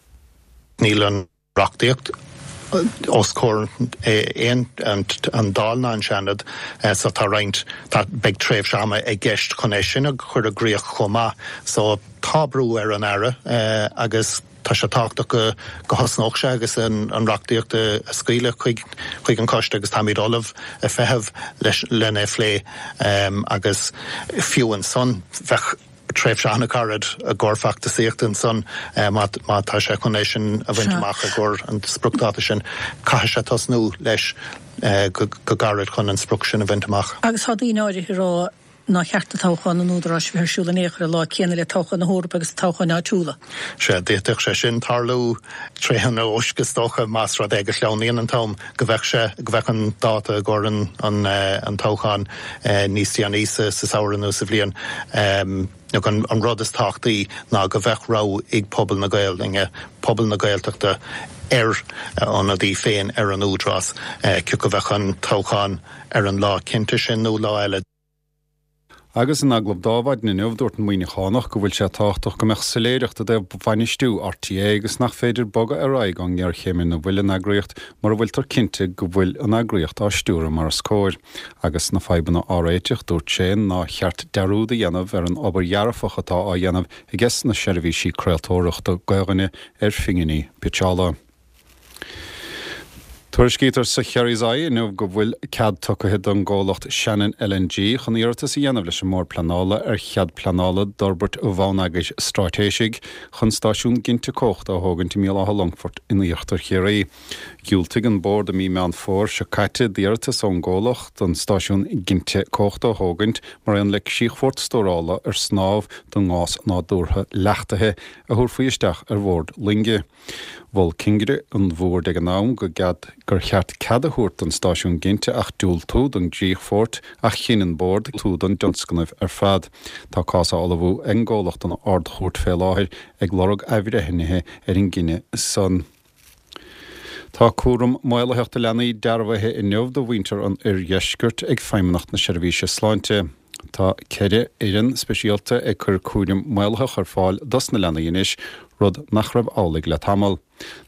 Níl an reachtaíocht os comhair aon an Dáil ná an Seanad so tá roinnt, tá, beidh tréimhse ama i gceist chun é sin a chur i gcrích chomh maith. So tá brú ar an Aire agus tá sé tábhachtach go go thosnódh sé agus an reachtaíocht a scaoileadh chuig chuig an choiste agus táimid ullamh ag feitheamh leis lena phlé agus fiú ansan bheadh tréimhse an-ghairid i gcomhair feachtasaíochta ansan má tá sé chun é sin a bhaint amach i gcomhair an spriocdháta sin. Caithfidh sé tosnú leis go gairid chun an sprioc sin a bhaint amach.
Agus tá daoine áirithe ag rá nár cheart do toghchán an Údaráis a bheith ar siúl in aon chor an lá céanna le toghchán na hEorpa agus toghcháin áitiúla.
Sea, d'fhéadfadh sé sin tarlú tré an eoisc is dócha, más rud é go sleamhnaíonn an t-am, go bheadh sé, go bheadh an dáta i gcomhair an an toghcháin níos déanaí sa samhradh nó sa bhliain. Nó an rud is tábhachtaí ná go bheadh rogha ag pobal na Gaelainne, pobal na Gaeltachta ar a ionadaí féin ar an Údarás, cé acu bheadh an toghchán ar an lá cinnte sin nó lá eile.
Agus in agallamh dó ar maidin inniu, dúirt an Muimhneachánach go bhfuil sé tábhachtach go mbeadh soiléireacht i dtaobh bhainistiú RTÉ agus nach féidir bogadh ar aghaidh ón ngéarchéim ina bhfuil an eagraíocht mura bhfuiltear cinnte go bhfuil an eagraíocht á stiúradh mar is cóir. Agus na fadhbanna á réiteach, dúirt sé nár cheart dearúd a dhéanamh ar an obair dhearfach atá á dhéanamh aiges na seirbhísí craoltóireachta Gaelainne ar phinginí pitseála. Tuairiscítear sa Kerry's Eye inniu go bhfuil cead tugtha don gcomhlacht Shannon LNG chun iarratas a dhéanamh leis an mBord Pleanála ar chead pleanála d'fhorbairt bhonneagair straitéisigh chun stáisiún ginte cumhachta a thógaint i mBéal Átha Longfoirt in íochtar Chiarraí. Dhiúltaigh an Bord i mí Meán Fómhair seo caite d'iarratas ón gcomhlacht an stáisiún ginte cumhachta a thógaint mar aon le críochfort stórála ar snámh don ngás nádúrtha leachtaithe a thabharfaí isteach ar bhord loinge. Mhol cingire an bhoird ag an am go gcead gur cheart cead a thabhairt don stáisiún ginte ach diúltú don gcríochfort ach chinn an Bord diúltú don dtionscnamh ar fad. Tá cás á ullmhú ag an gcomhlacht don Ard-Chúirt fé láthair ag lorg athbhreithnithe ar an gcinneadh san. Tá cúram maolaitheach do leanaí dearbhaithe inniu do mhuintir an oirdheiscirt ag Feidhmeannacht na Seirbhíse Sláinte. Tá 4 fhoireann speisialta ag cur cúram maolaitheach ar fáil dos na leanaí anois, rud nach raibh amhlaidh le tamall.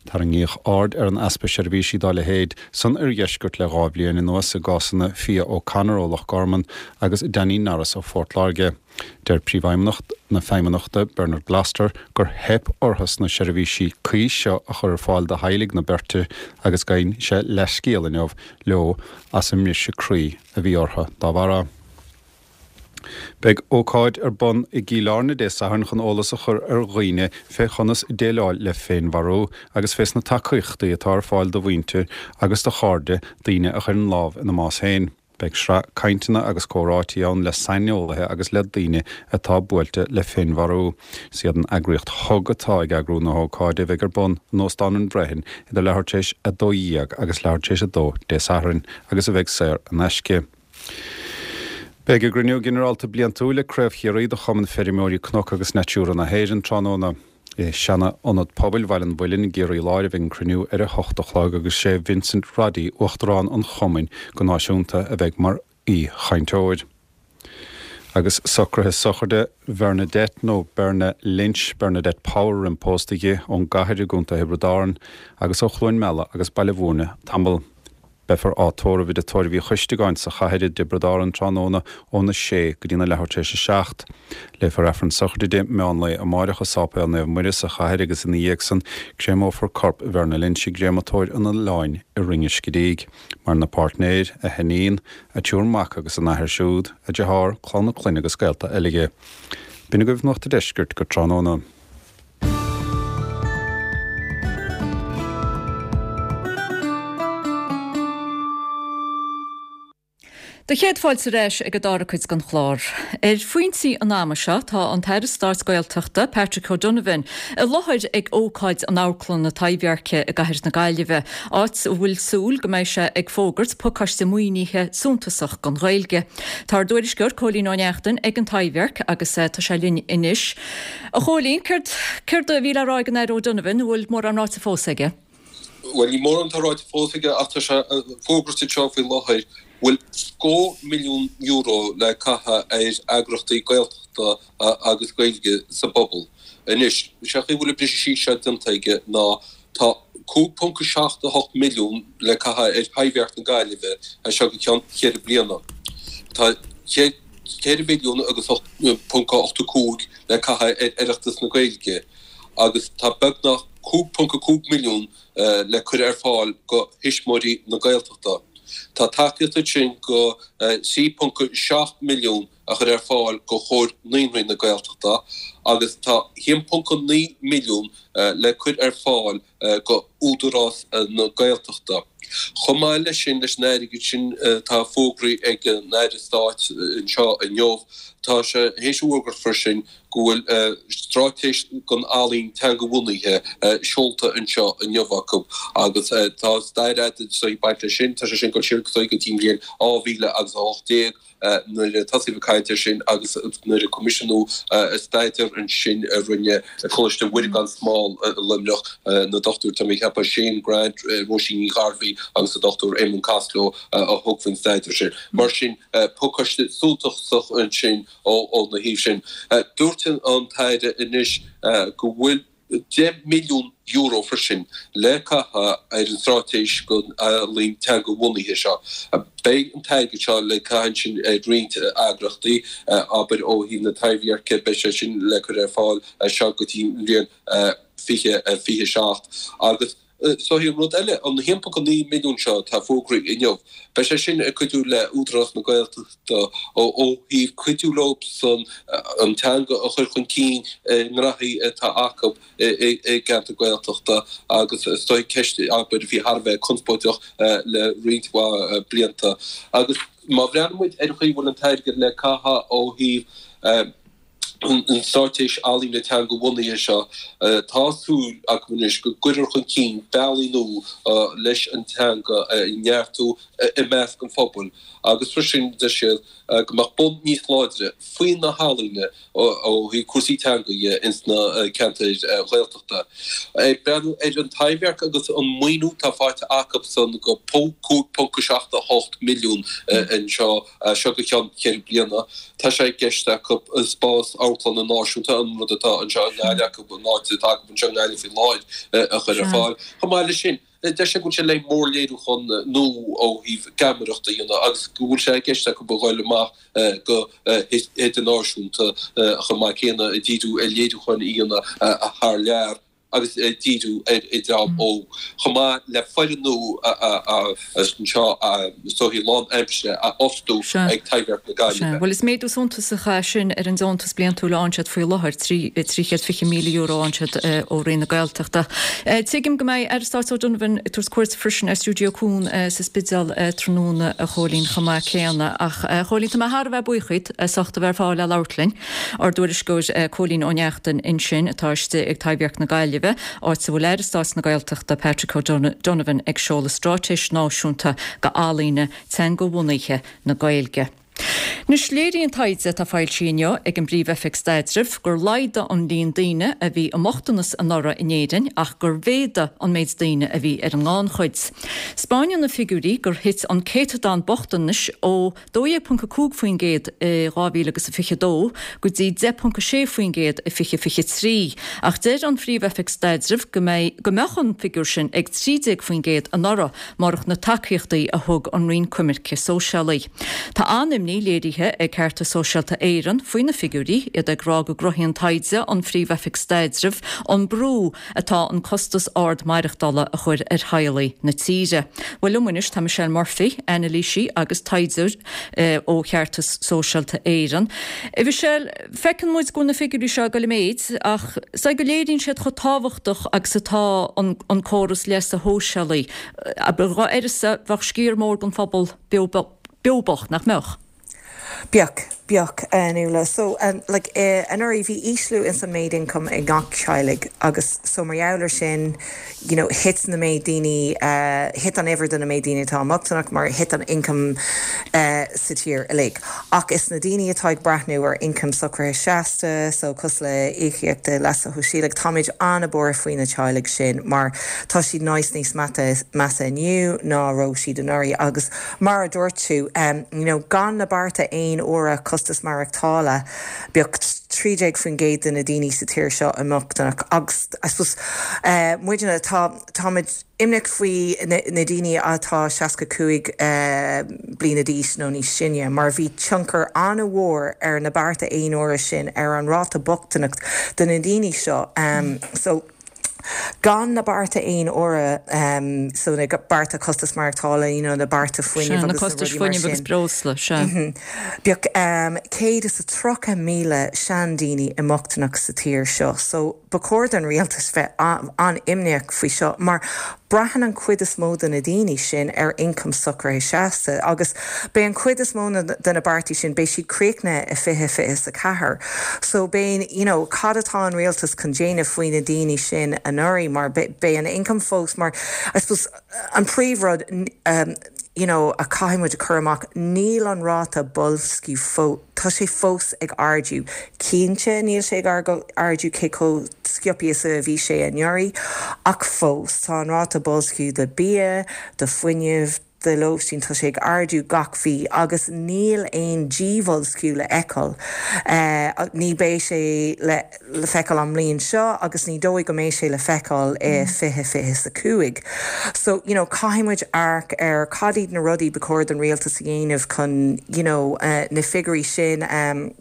Tarraingíodh aird ar an easpa seirbhísí dá leithéid san oirdheisceart le 2 bhliain anuas i gcásanna Fia O'Connor ó Loch Garman agus Danny Norris ó Phort Láirge. Deir Príomhfheidhmeannach na Feidhmeannachta, Bernard Gloster, gur theip orthu sna seirbhísí cuí seo a chur ar fáil do theaghlaigh na beirte agus gabhann sé leithscéal inniu leo as an mbriseadh croí a bhí orthu dá bharra. Beidh ócáid ar bun i gCill Airne Dé Sathairn chun eolas a chur ar dhaoine fé chonas déileáil le féinmharú agus fés na tacaíochtaí atá ar fáil do mhuintir agus do chairde daoine a chuireann lámh ina mbás féin. Beidh sraith cainteanna agus comhráití ann le saineolaithe agus le daoine atá buailte le féinmharú. Is iad an eagraíocht hug atá ag eagrú na hócáide a bheidh ar bun in Óstán an Bhreithin idir leathuair tar éis 12 agus leathuair tar éis 2 Dé Sathairn agus a bheidh saor in aisce. Beidh a gcruinniú ginearálta bliantúil ag Craobh Chiarraí de Chumann Feirmeoirí Cnoc agus Natura na hÉireann tráthnóna. I seana-ionad pobail Bhaile an Mhuilinn i gCiarraí Láir a bheidh an cruinniú ar a hocht a chlog agus sé Vincent Roddy, Uachtarán an Chumainn go náisiúnta, a bheidh mar aoi-chainteoir. Agus socruithe sochraide Bhernadette nó Berna Lynch, Bernadette Power roimh pósta di, ón gCathair i gContae Thiobraid Árann agus ó Chluain Meala agus Baile Mhúirne tamall. Beifear á tórramh i dTigh Tórraimh Uí Choisteagáin sa Chathair i dTiobraid Árann tráthnóna óna sé go dtína leathuair tar éis a 7. Léifear Aifreann sochraide di meán lae amáireach i Sáipéal Naomh Muire sa Chathair agus ina dhiaidh san créamófar corp Bherna Lynch i gcréamatóir an Oileáin i Rinn an Scidígh. Maireann a páirtnéir, a hiníon, a triúr mac agus a n-athair siúd, a deartháir, clann a clainne agus gaolta eile di. B'in agaibh Nuacht an Deiscirt go tráthnóna.
Do chéad fáilte ar ais ag an dara cuid den chlár. Ar phointí an ama seo tá an tAire Stáit Gaeltachta, Patrick O'Donovan, i láthair ag ócáid in Amharclann na Taibhdheirce i gcathair na Gaillimhe, áit a bhfuil súil go mbeidh sé ag fógairt pacáiste maoinithe suntasach don Ghaeilge. Tá ár dtuairisceoir Cóilín Ó Neachtain ag an Taibhdhearc agus tá sé linn anois. A Chóilín, céard céard a bhí le rá ag an Aire O'Donovan, an bhfuil mórán ráite fós aige?
Bhuel, níl mórán atá ráite fós aige ach tá sé fógrairt anseo faoi láthair go bhfuil scór milliún euro le caitheamh ar eagraíochtaí Gaeltachta agus Gaeilge sa bpobal. Anois, sé an chaoi a bhfuil an briseadh síos seo déanta aige ná tá 5.78 milliún le caitheamh ar Thaibhdhearc na Gaillimhe as seo go ceann cheithre bliana. Tá 4 mhilliún agus .85 le caitheamh ar Oireachtas na Gaeilge. agus tá beagnach 5.5 milliún le cur ar fáil go Thuismitheoirí na Gaeltachta. Tá tacaíocht ansin go 3.7 milliún a chur ar fáil go Chomhar Naíonraí na Gaeltachta agus tá 1.9 milliún le cur ar fáil go Údarás na Gaeltachta. Chomh maith leis sin, leis an airgead sin atá fógraithe ag an Aire Stáit anseo inniu, tá sé théis a fhógairt freisin go bhfuil straitéis don ealaín teangabhunaithe seolta anseo inniu acu agus tá stair fhada ag baint leis sin, tá sé sin ag dul siar go dtí an bhliain 2018. nuair a tosaíodh ag caint air sin agus nuair a coimisiúnadh staidéar ansin a rinne Coláiste Mhuire gan Smál i Luimneach, na dochtúirí, tá mé ag ceapadh, Shane Grant, Róisín Ní Ghairbhí agus an Dr Éamonn Costello a thug faoin staidéar sin. Mar sin, pacáiste suntasach ansin óna thaobh sin. Dúirt an tAire anois go bhfuil. €10 milliún freisin le caitheamh ar an straitéis don ealaín teanga-bhunaithe seo. Beidh an t-airgead seo le caitheamh ansin ar roinnt eagraíochtaí, abair ó thaobh na Taibhdheirce, beidh sé sin le cur ar fáil as seo go dtí an bhliain 2027. Agus so an rud eile, an 1.9 milliún seo atá fógraithe inniu, beidh sé sin ag cuidiú le Údarás na Gaeltachta ó thaobh cuidiú leo san an teanga a chur chun cinn i ngnóthaí atá acu i gceantar Gaeltachta agus is dóigh ceist abair a bhí thar a bheith conspóideach le roinnt mhaith blianta. Agus má bhreathnaíonn muid ar an chaoi a bhfuil an t-airgead le caitheamh ó thaobh an straitéis ealaíne teanga-bhunaithe seo, tá súil acu anois go gcuirfear chun cinn bealaí nua leis an teanga a neartú i measc an phobail agus freisin deir siad go mbeadh bonn níos láidre faoi na healaíona ó thaobh cúrsaí teanga dhe ins na ceantair Ghaeltachta. Ag breathnú ar an Taibhdhearc agus an maoiniú atá faighte acusan go 5.78 milliún anseo as seo go ceann cheithre bliana. Tá sé i gceist acu spás amharclainne náisiúnta, an rud atá anseo i nGaillimh acu, an áit atá acu anseo i nGaillimh faoi láthair, a chur ar fáil. Chomh maith leis sin, deir sé go bhfuil sé le mórléiriúchán nua ó thaobh geamaireachta a dhéanamh agus go bhfuil sé i gceist acu a dhul amach go hidirnáisiúnta chomh maith céanna, ag díriú ar léiriúcháin a dhéanamh thar lear. agus díriú ar an dream óg, chomh maith le foireann nua anseo is dóichí lánaimseartha a fhostú ag Taibhdhearc na Gaillimhe.
Sea, bhuel is méadú suntasach é sin ar an deontas bliantúil a fhaigheann siad faoi láthair, €320,000 a fhaigheann siad ó Roinn na Gaeltachta. Tuigim go mbeidh Aire Stáit O'Donovan ag tabhairt cuairt freisin ar Stiúideo Cuan sa Spidéal tráthnóna, a Chóilín, chomh maith céanna. Ach, a Chóilín, tá mé thar a bheith buíoch díot as ucht a bheith ar fáil le labhairt linn. Ár dtuairisceoir Cóilín Ó Neachtain ansin atá istigh ag Taibhdhearc na Gaillimhe, áit a bhfuil Aire Stáit na Gaeltachta Patrick O'Donovan ag seoladh Straitéis Náisiúnta do Ealaíona Teangabhunaithe na Gaeilge. Anois, léiríonn taighde atá foilsithe inniu ag an bPríomh-Oifig Staidrimh gur laghdaigh an líon daoine a bhí i mbochtanas anuraidh in Éirinn ach gur mhéadaigh an méid daoine a bhí ar an ngannchuid. 'Spáineann na figiúirí gur thit an céatadán bochtanais ó 12.5% i 2022 go dtí 10.6% i 2023 ach deir an Phríomh-Oifig Staidrimh go mbeidh go mbeadh an figiúr sin ag 13% anuraidh murach na tacaíochtaí a thug an Roinn Coimirce Sóisialaí. Tá an-imní léirithe ag Ceartas Sóisialta Éireann faoi na figiúirí, iad ag rá go gcruthaíonn taighde an Phríomh-Oifig Staidrimh an brú atá an costas ard maireachtála a chur ar theaghlaigh na tíre. Bhuel liom anois tá Michelle Murphy, anailísí agus taighdeoir ó Cheartas Sóisialta Éireann. A Mhichelle, feiceann muid go bhfuil na figiúirí seo ag dul i méid ach is dóigh go léiríonn siad chomh tábhachtach agus atá an córas leasa shóisialaigh. Dá uireasa, bheadh sciar mór den phobal beo bocht, nach mbeadh?
Bheadh, bheadh, a Nuala. So, like, anuraidh bhí ísliú ins an méid income ag gach teaghlaigh agus so mar gheall ar sin, you know, thit na méid daoine, thit an uimhir de na méid daoine atá i mbochtaineacht mar thit an income sa tír uilig. Ach is na daoine atá ag breathnú ar income socraithe seasta, so cosúil le íocaíocht leasa shóisialaigh, táimid an-buartha faoi na teaghlaigh sin mar tá siad níos níos measa inniu ná raibh siad anuraidh agus mar a dúirt tú, you know, gan na bearta aon uaire costas maireachtála, bheadh 13% de na daoine sa tír seo i mbochtaineacht agus I suppose muidne, tá, táimid imníoch faoi na daoine atá 65 bliana d'aois nó níos sine mar bhí tionchar an-mhór ar na bearta aon uaire sin ar an ráta bochtaineacht do na daoine seo. So. Gan na bearta aon uaire, so na bearta costas maireachtála, you know, na bearta
fuinnimh agus na rudaí mar sin. agus breosla,
sea. Bheadh 130,000 seandaoine i mbochtaineacht sa tír seo. So ba chóir don rialtas bheith an-imníoch faoi seo mar braitheann an chuid is mó de na daoine sin ar ioncam socraithe seasta agus beidh an chuid is mó de na beartaí sin, beidh siad críochnaithe i 2024. So beidh, you know, cad atá an rialtas chun déanamh faoi na daoine sin anuraidh mar beidh an income fós mar, I suppose, an príomhrud, you know, a caithfidh muid a chur amach, níl an ráta boilsciú fós, tá sé fós ag ardú. Cinnte níl sé ag ardú cé chomh sciobtha is a bhí sé anuraidh ach fós tá an ráta boilsciú do bia, do fuinneamh, do lóistín, tá sé ag ardú gach mhí agus níl aon díbhoilsciú le feiceáil. Ní beidh sé le feiceáil an mbliain seo agus ní dóigh go mbeidh sé le feiceáil i 2025. So, you know, caithfidh muid amharc ar cad iad na rudaí ba chóir don rialtas a dhéanamh chun, you know, na figiúirí sin a,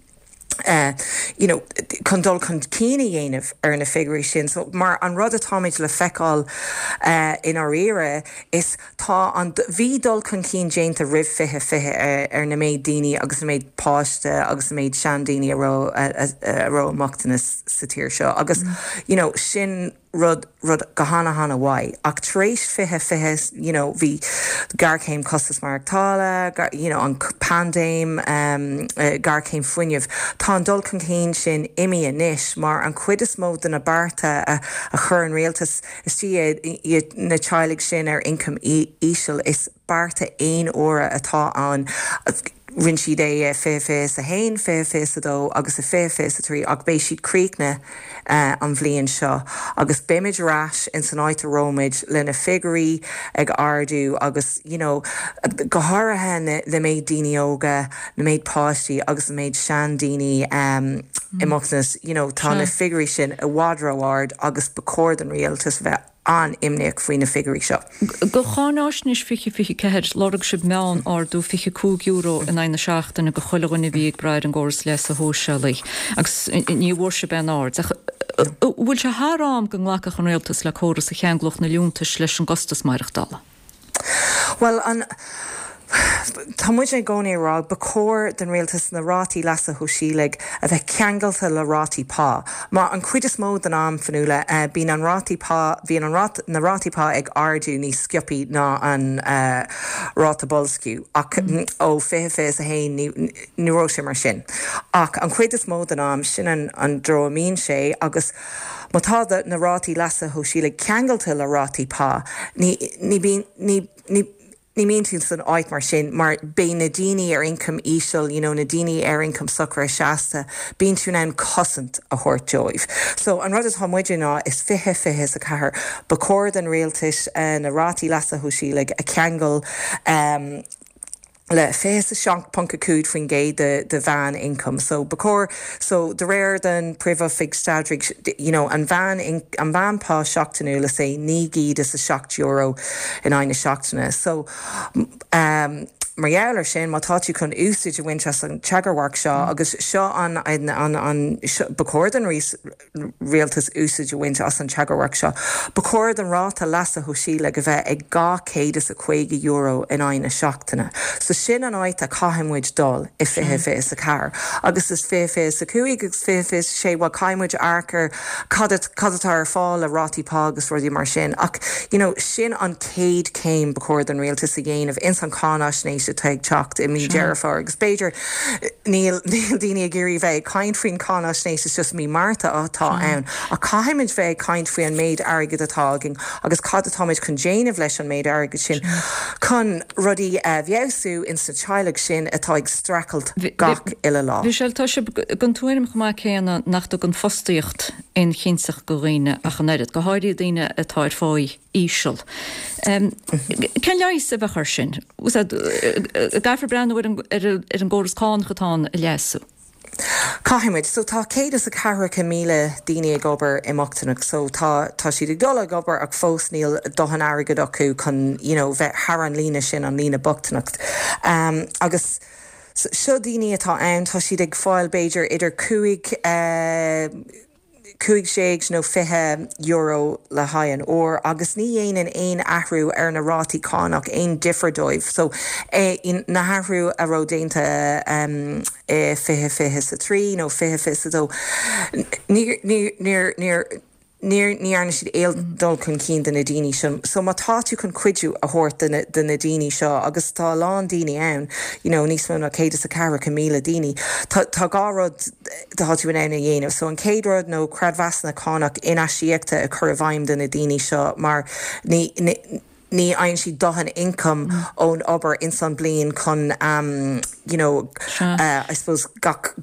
you know, chun dul chun cinn a dhéanamh ar na figiúirí sin. So, mar an rud atáimid le feiceáil i ndáiríre is tá an, bhí dul chun cinn déanta roimh 2020 ar na méid daoine agus na méid páiste agus na méid seandaoine a raibh, a raibh i mbochtanas sa tír seo agus, you know, sin, rud, rud go hana hana mhaith. Ach tar éis 2020, you know, bhí géarchéim costas maireachtála, you know, an paindéim, géarchéim fuinnimh. Tá an dul chun cinn sin imithe anois mar an chuid is mó de na bearta a a chuir an rialtas istigh i na teaghlaigh sin ar ioncam íseal, is bearta aon uaire atá ann. Rinne siad é i 2021, 2022 agus i 2023 ach beidh siad críochnaithe an bhliain seo agus beimid ar ais ins an áit a raibh muid le na figiúirí ag ardú agus you know go háirithe na na méid daoine óga, na méid páistí agus na méid seandaoine i mbochtanas you know tá na figiúirí sin i bhfad ró-ard agus ba chóir don rialtas bheith an-imníoch faoi na figiúirí seo.
Do cháináisnéis 2024, lorg sibh meán-ardú €25 in aghaidh na seachtaine do chuile dhuine a bhí ag brath ar an gcóras leasa shóisialaigh agus ní bhfuair sibh aon aird. Ach an bhfuil sé thar am go nglacfadh an rialtas le córas a cheanglódh na liúntais leis an gcostas maireachtála?
Bhuel, an, tá muid i gcónaí ag rá, ba chóir don rialtas na rátaí leasa shóisialaigh a bheith ceangailte le rátaí pá. Má, an chuid is mó den am, Fionnuala, bíonn an rátaí pá, bhíonn an rát, na rátaí pá ag ardú níos sciobthaí ná an ráta boilsciú. Ach ó 2021 ní, ní raibh sé mar sin. Ach an chuid is mó den am, sin an, an dtreo a mbíonn sé agus, Má tá na rátaí leasa shóisialaigh ceangailte le rátaí pá, ní, ní, ní, ní, ní. Ní mbíonn tú san áit mar sin mar beidh na daoine ar ioncam íseal, you know na daoine ar ioncam socraithe seasta, bíonn tú in ann cosaint a thabhairt dóibh. So an rud atá muide ná is 20 24 ba chóir don rialtais na rátaí leasa shóisialaigh a cheangal le 27.5% de de mheán ioncam. So ba chóir, so de réir den Príomh-Oifig Staidrimh, you know an mheán an mheán pá seachtainiúil is é €907 in aghaidh na seachtaine. So um mar gheall ar sin má tá tú chun úsáid a bhaint as an tagarmharc seo agus seo an an an an ba chóir don rialtas úsáid a bhaint as an tagarmharc seo. Ba chóir don ráta leasa shóisialaigh a bheith ag €250 in aghaidh na seachtaine. So sin an áit a caithfidh muid dul i 2024. Agus is 2025 agus 2026, bhuel caithfidh muid amharc ar cad cad atá ar fáil le rátaí pá agus rudaí mar sin. Ach you know sin an chéad chéim ba chóir don rialtas a dhéanamh ins an cháinaisnéis atá ag teacht i mí Deireadh Fómhair agus b'fhéidir Níl daoine ag iarraidh bheith ag caint faoin cháinaisnéis, is just mí Márta atá ann. Ach caithfimid bheith ag caint faoi an méid airgid atá againn agus cad atáimid chun déanamh leis an méid airgid sin chun rudaí a fheabhsú ins na teaghlaigh sin atá ag streachailt gach uile lá.
Michelle, tá sibh den tuairim chomh maith céanna nach dtugann fostaíocht aon chinnteacht do dhaoine ach an oiread, go háirithe daoine atá ar pháí. íseal. Cén leigheas a bheadh air sin? Caithfear breathnú ar an gcóras cánach atá ann a leasú.
Caithfidh muid. So tá 114,000 daoine ag obair i mbochtaineacht. So tá tá siad ag dul ag obair ach fós níl dóthain airgid acu chun you know bheith thar an líne sin, an líne bochtaineacht. Agus seo daoine atá ann, tá siad ag fáil b'fhéidir idir 5, 15 nó €20 le haghaidh an uair agus ní dhéanann aon athrú ar na rátaí cánach aon difear dóibh. So na hathrú a raibh déanta i 2023 nó 2022 níor níor níor níor ní dhearna siad aon dul chun cinn do na daoine seo. So má tá tú chun cuidiú a thabhairt do na do na daoine seo agus tá a lán daoine ann you know níos mó ná 114,000 daoine tá tá dhá rud tá tú in ann a dhéanamh. So an chéad rud nó creidmheasanna cánach in-aisíoctha a chur i bhfeidhm do na daoine seo mar ní ní fhaigheann siad dóthain income ón obair ins an bliain chun you know I suppose gach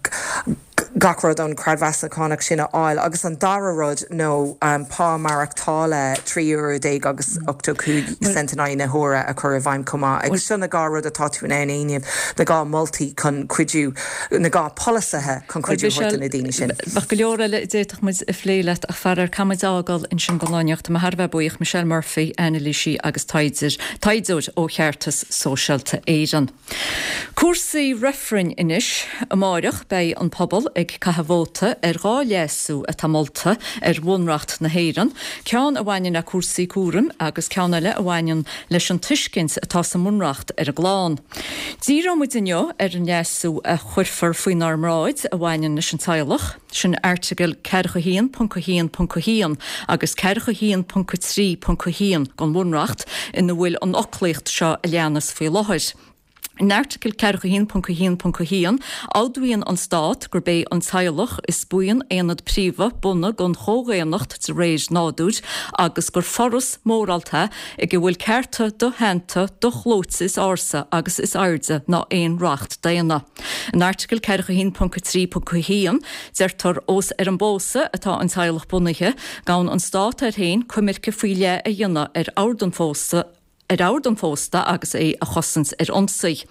gach rud ón creidmheasanna cánach sin a fháil. Agus an dara rud nó pá maireachtála 13 euro agus 85 cent in aghaidh na huaire a chur i bhfeidhm chomh maith. Agus seo na dhá rud atá tú in ann a dhéanamh, na dhá moltaí chun cuidiú na dhá polasaithe chun cuidiú a thabhairt do na daoine sin.
Bheadh go leor eile a d'fhéadfadh muid a phlé leat ach faraor caithfidh muid a fhágáil ansin don lá inniu. Tá mé thar a bheith buíoch, Michelle Murphy, anailísí agus taighdeoir ó Cheartas Sóisialta Éireann. Cúrsaí reifrinn anois. Amáireach beidh an pobal ag caitheamh vóta ar dhá léasú atá molta ar Bhunreacht na hÉireann, ceann a bhaineann le cúrsaí cúraim agus ceann eile a bhaineann leis an tuiscint atá sa mBunreacht ar an gclann. Díreoidh muid inniu ar an leasú a chuirfear faoinár mbráid a bhaineann leis an teaghlach, sin Airteagal 41.1.1 agus 41.3.1 den Bhunreacht ina bhfuil an fhoclaíocht seo a leanas faoi láthair. In Airteagal 41.1.1, admhaíonn an Stát gurb é an teaghlach is buíon aonad príomha bunaidh don chomhdhaonnacht de réir nádúir agus gur foras mórálta é ag a bhfuil cearta doshéanta, doshlóite is ársa agus is airde ná aon reacht daonna. In Airteagal 41.3.1, deirtear ós ar an bpósadh atá an teaghlach bunaithe, gabhann an Stát air féin coimirce faoi leith a dhéanamh ar ord an phósta, ar ord an phósta agus é a chosaint ar ionsaí.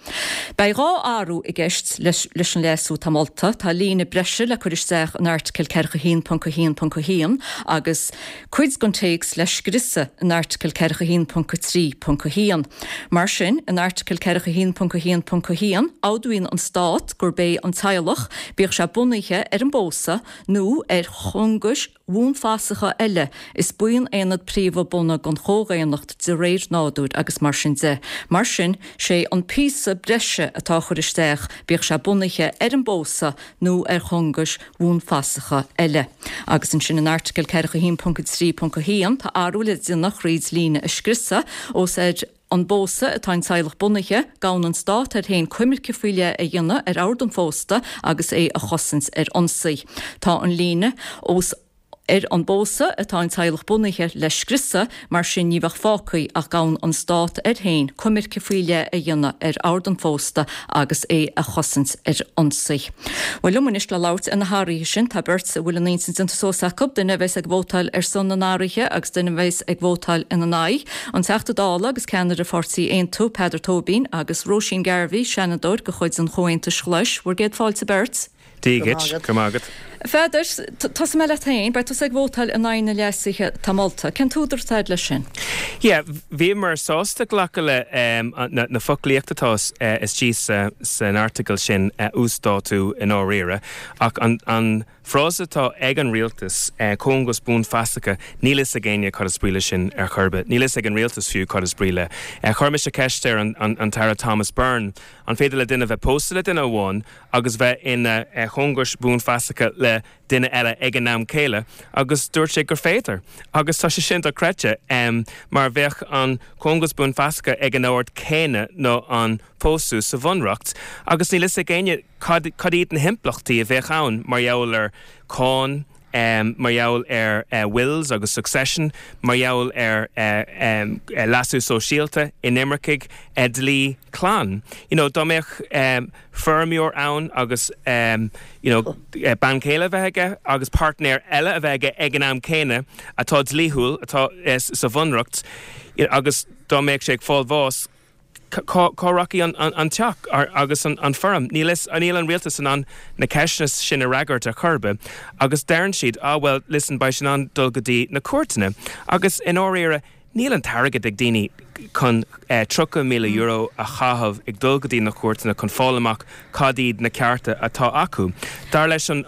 Beidh dhá athrú i gceist leis an léasú atá molta. Tá líne breise le cur isteach in Airteagal 41.1.1 agus cuid den téacs le scriosadh in Airteagal 41.3.1. Mar sin, in Airteagal 41.1.1, admhaíonn an Stát gurb é an teaghlach, bíodh sé bunaithe ar an bpósadh nó ar cheanglais bhuanfasacha eile, is buíon aonad príomha bunaidh den chomhdhaonnacht de réir nádúir agus mar sin de. Mar sin, sé an píosa breise atá á chur isteach, bíodh sé bunaithe ar an bpósadh nó ar cheanglais bhuanfasacha eile. Agus ansin in Airteagal 41.3.1 tá athrú le déanamh thríd líne a scriosadh, ós ar an bpósadh atá an teaghlach bunaithe, gabhann an Stát air féin coimirce faoi leith a dhéanamh ar ord an phósta agus é a chosaint ar ionsaí. Tá an líne, ós. Ar an bpósadh atá an teaghlach bunaithe le scriosadh, mar sin ní bheadh fágtha ach gan an stát air féin coimirce faoi leith a dhéanamh ar ord an phósta agus é a chosaint ar ionsaí. Bhuel, liom anois le labhairt ar na hathruithe sin tá beirt a bhfuil a n-intinn déanta suas acu, duine a bheas ag vótáil ar son na n-athruithe agus duine a bheas ag vótáil ina n-aghaidh, an Teachta Dála agus ceannaire Pháirtí Aontú, Peadar Tóibín, agus Róisín Garvey, Seanadóir de chuid an Chomhaontais Ghlais. Bhur gcéad fáilte beirt.
Dia dhuit, go raibh maith agat.
A Pheadair, tosóidh mé leat féin, beidh tusa ag vótáil in aghaidh na leasuithe atá molta. Cén t-údar atá agat leis sin?
Yeah, bhíomar sásta glacadh le na foclaíocht atá istigh san airteagal sin a uasdátú i ndáiríre, ach an frása atá ag an rialtas, cóngais buanfhasacha, níl fhios ag éinne cad is brí leis sin ar chor ar bith. Níl fhios ag an rialtas fiú cad is brí le. Chuir mise ceist ar an tAire Thomas Byrne, an féidir le duine bheith pósta le duine amháin agus bheith ina chóngais buanfhasacha le duine eile ag an am céile agus dúirt sé gur féidir agus tá sé sin dochreidte mar bheadh an cóngas buanfhasacha ag an ord céanna ná an pósadh sa bhunreacht agus níl fhios ag éinne cad cad iad na himpleachtaí a bheadh ann mar gheall ar cáin mar gheall ar wills agus succession, mar gheall ar leasú sóisialta, inimircigh, dlí clann. You know, dá mbeadh feirmeoir ann agus you know, bean chéile a bheith aige agus páirtnéir eile a bheith aige ag an am céanna atá dlíthiúil, atá sa bhunreacht, agus dá mbeadh sé ag fáil bháis, cá rachaidh an teach agus an feirm? Níl níl an rialtas in ann na ceisteanna sin a fhreagairt ar chor ar bith agus deireann siad, ah well, listen, beidh sé in ann dul go dtí na cúirteanna. Agus i ndáiríre, níl an t-airgead ag daoine chun €30,000 a chaitheamh ag dul go dtí na cúirteanna chun fáil amach cad iad na cearta atá acu. Dar leis an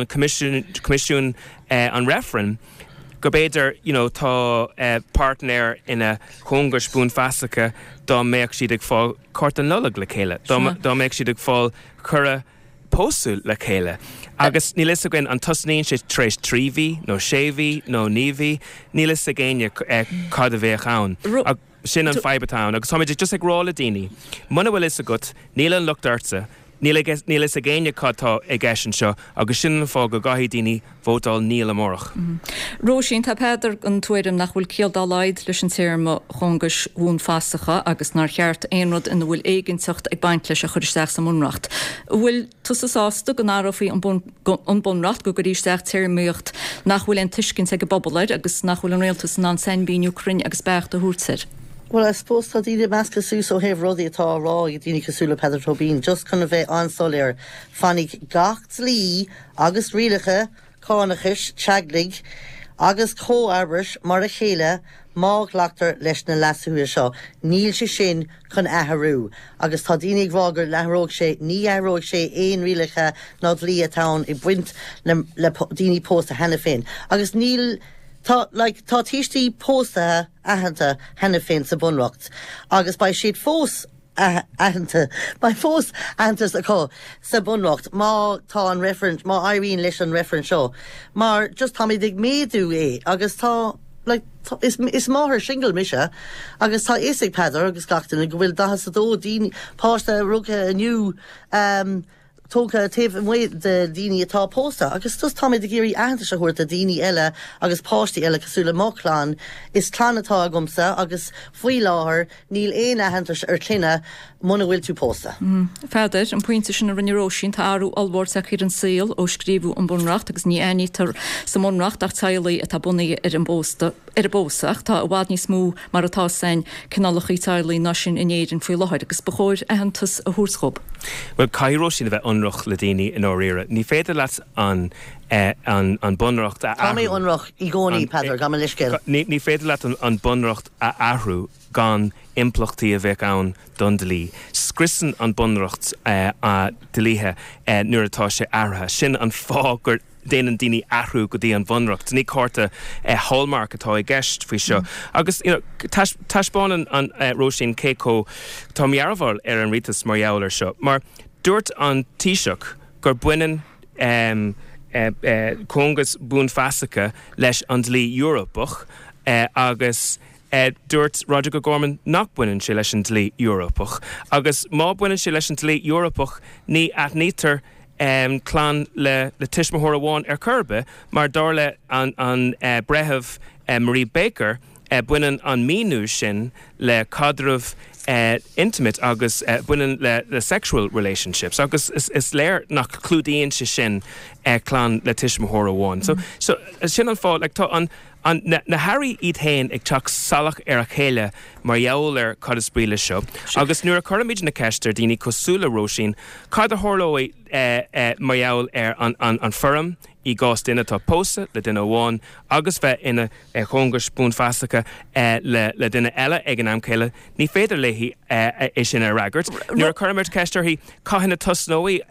Coimisiún an Reifrinn, go b'fhéidir you know tá páirtnéir ina chóngais buanfhasacha dá mbeadh siad ag fáil cárta Nollag le chéile, dá dá mbeadh siad ag fáil cuireadh pósadh le chéile. Agus níl fhios againn an tosnaíonn sé tar éis 3 mhí nó 6 mhí nó 9 mhí, níl fhios ag éinne cad a bheadh ann. Sin an fadhb atá ann agus táimid just ag rá le daoine, muna bhfuil fhios agat, níl an locht ortsa, níl níl fhios ag éinne cad tá i gceist anseo agus sin an fáth go gcaithfidh daoine vótáil níl amárach.
Róisín, tá Peadar den tuairim nach bhfuil ciall dá laghad leis an téarma chóngais bhuanfhasacha agus nár cheart aon rud ina bhfuil éiginnteacht ag baint leis a chur isteach sa mBunreacht. An bhfuil tusa sásta go n-athrófaí an an Bunreacht, go gcuirfí isteach téarmaíocht nach bhfuil aon tuiscint ag an bpobal air agus nach bhfuil an rialtas in ann sainmhíniú cruinn agus beacht a thabhairt air.
Bhuel, I suppose tá daoine measctha suas ó thaobh rudaí atá á rá ag daoine cosúil le Peadar Tóibín. Just chun a bheith an-soiléir, fanfaidh gach dlí agus rialacha cánachais, teaghlaigh agus comharbais mar a chéile má ghlactar leis na leasuithe seo. Níl sé sin chun athrú. Agus tá daoine ag rá go n-athróidh sé, ní athróidh sé aon rialacha ná dlí atá ann ag baint le le daoine pósta cheana féin. Agus níl, tá, like, tá tuistí pósta aitheanta cheana féin sa Bhunreacht agus beidh siad fós aitheanta, beidh fós aitheantas acu sa Bhunreacht má tá an referendum, má éiríonn leis an referendum seo mar just táimid ag méadú é agus tá, like, is, is máthair singil mise agus tá fhios ag Peadar agus gach duine go bhfuil 42 daoine, páiste rugtha inniu, um, tógtha taobh amuigh de daoine atá pósta agus just táimid ag iarraidh aitheantas a thabhairt do daoine eile agus páistí eile cosúil le mo chlann. Is clann atá agamsa agus faoi láthair níl aon aitheantas ar clainne muna bhfuil tú pósta.
A Pheadair, an pointe sin a rinne Róisín, tá athrú ollmhór tagtha ar an saol ó scríobhadh an Bunreacht agus ní aithnítear sa mBunreacht ach teaghlaigh atá bunaithe ar an bpósta, ar an bpósadh ach tá i bhfad níos mó mar atá sain cineálacha teaghlaigh ná sin in Éirinn faoi láthair agus ba chóir aitheantas a thabhairt dhób.
Bhuel, caithfidh Róisín a bheith ionrach le daoine i ndáiríre. Ní féidir leat an an Bunreacht a
Tá mé athrú. ionrach i gcónaí, Peadar, gabh mo leithscéal.
Ní féidir leat an Bunreacht a athrú gan impleachtaí a bheadh ann don dlí. Scriosann an Bunreacht dlíthe nuair atá sé athraithe. Sin an fáth gur déanann daoine athrú go dtí an Bhunreacht. Ní cárta Hallmark atá i gceist faoi seo. Agus you know taispeánann an Róisín cé chomh tá mearbhall ar an rialtas mar gheall ar seo. Mar dúirt an Taoiseach gur baineann cóngas buanfhasacha leis an dlí Eorpach agus dúirt Roderic O'Gorman nach baineann sé leis an dlí Eorpach. Agus má baineann sé leis an dlí Eorpach ní aithnítear.
clann le tuismitheoir amháin ar chor ar bith mar dar le an Breitheamh Marie Baker, baineann an míniú sin le caidreamh intimate agus baineann le sexual relationships agus is léir nach clúdaíonn sé sin clann le tuismitheoir amháin. So sin an fáth, like tá an an na hairí iad féin ag teacht salach ar a chéile mar gheall ar cad is brí leis seo agus nuair a chuirimid na ceist ar daoine cosúil le Róisín cad a tharlóidh mar gheall ar an an foirm i gcás duine atá pósta le duine amháin agus bheith ina chóngais buanfhasacha le duine eile ag an am céanna, ní féidir léi é sin a fhreagairt. Nuair a chuirimid ceist uirthi cathain a tosnóidh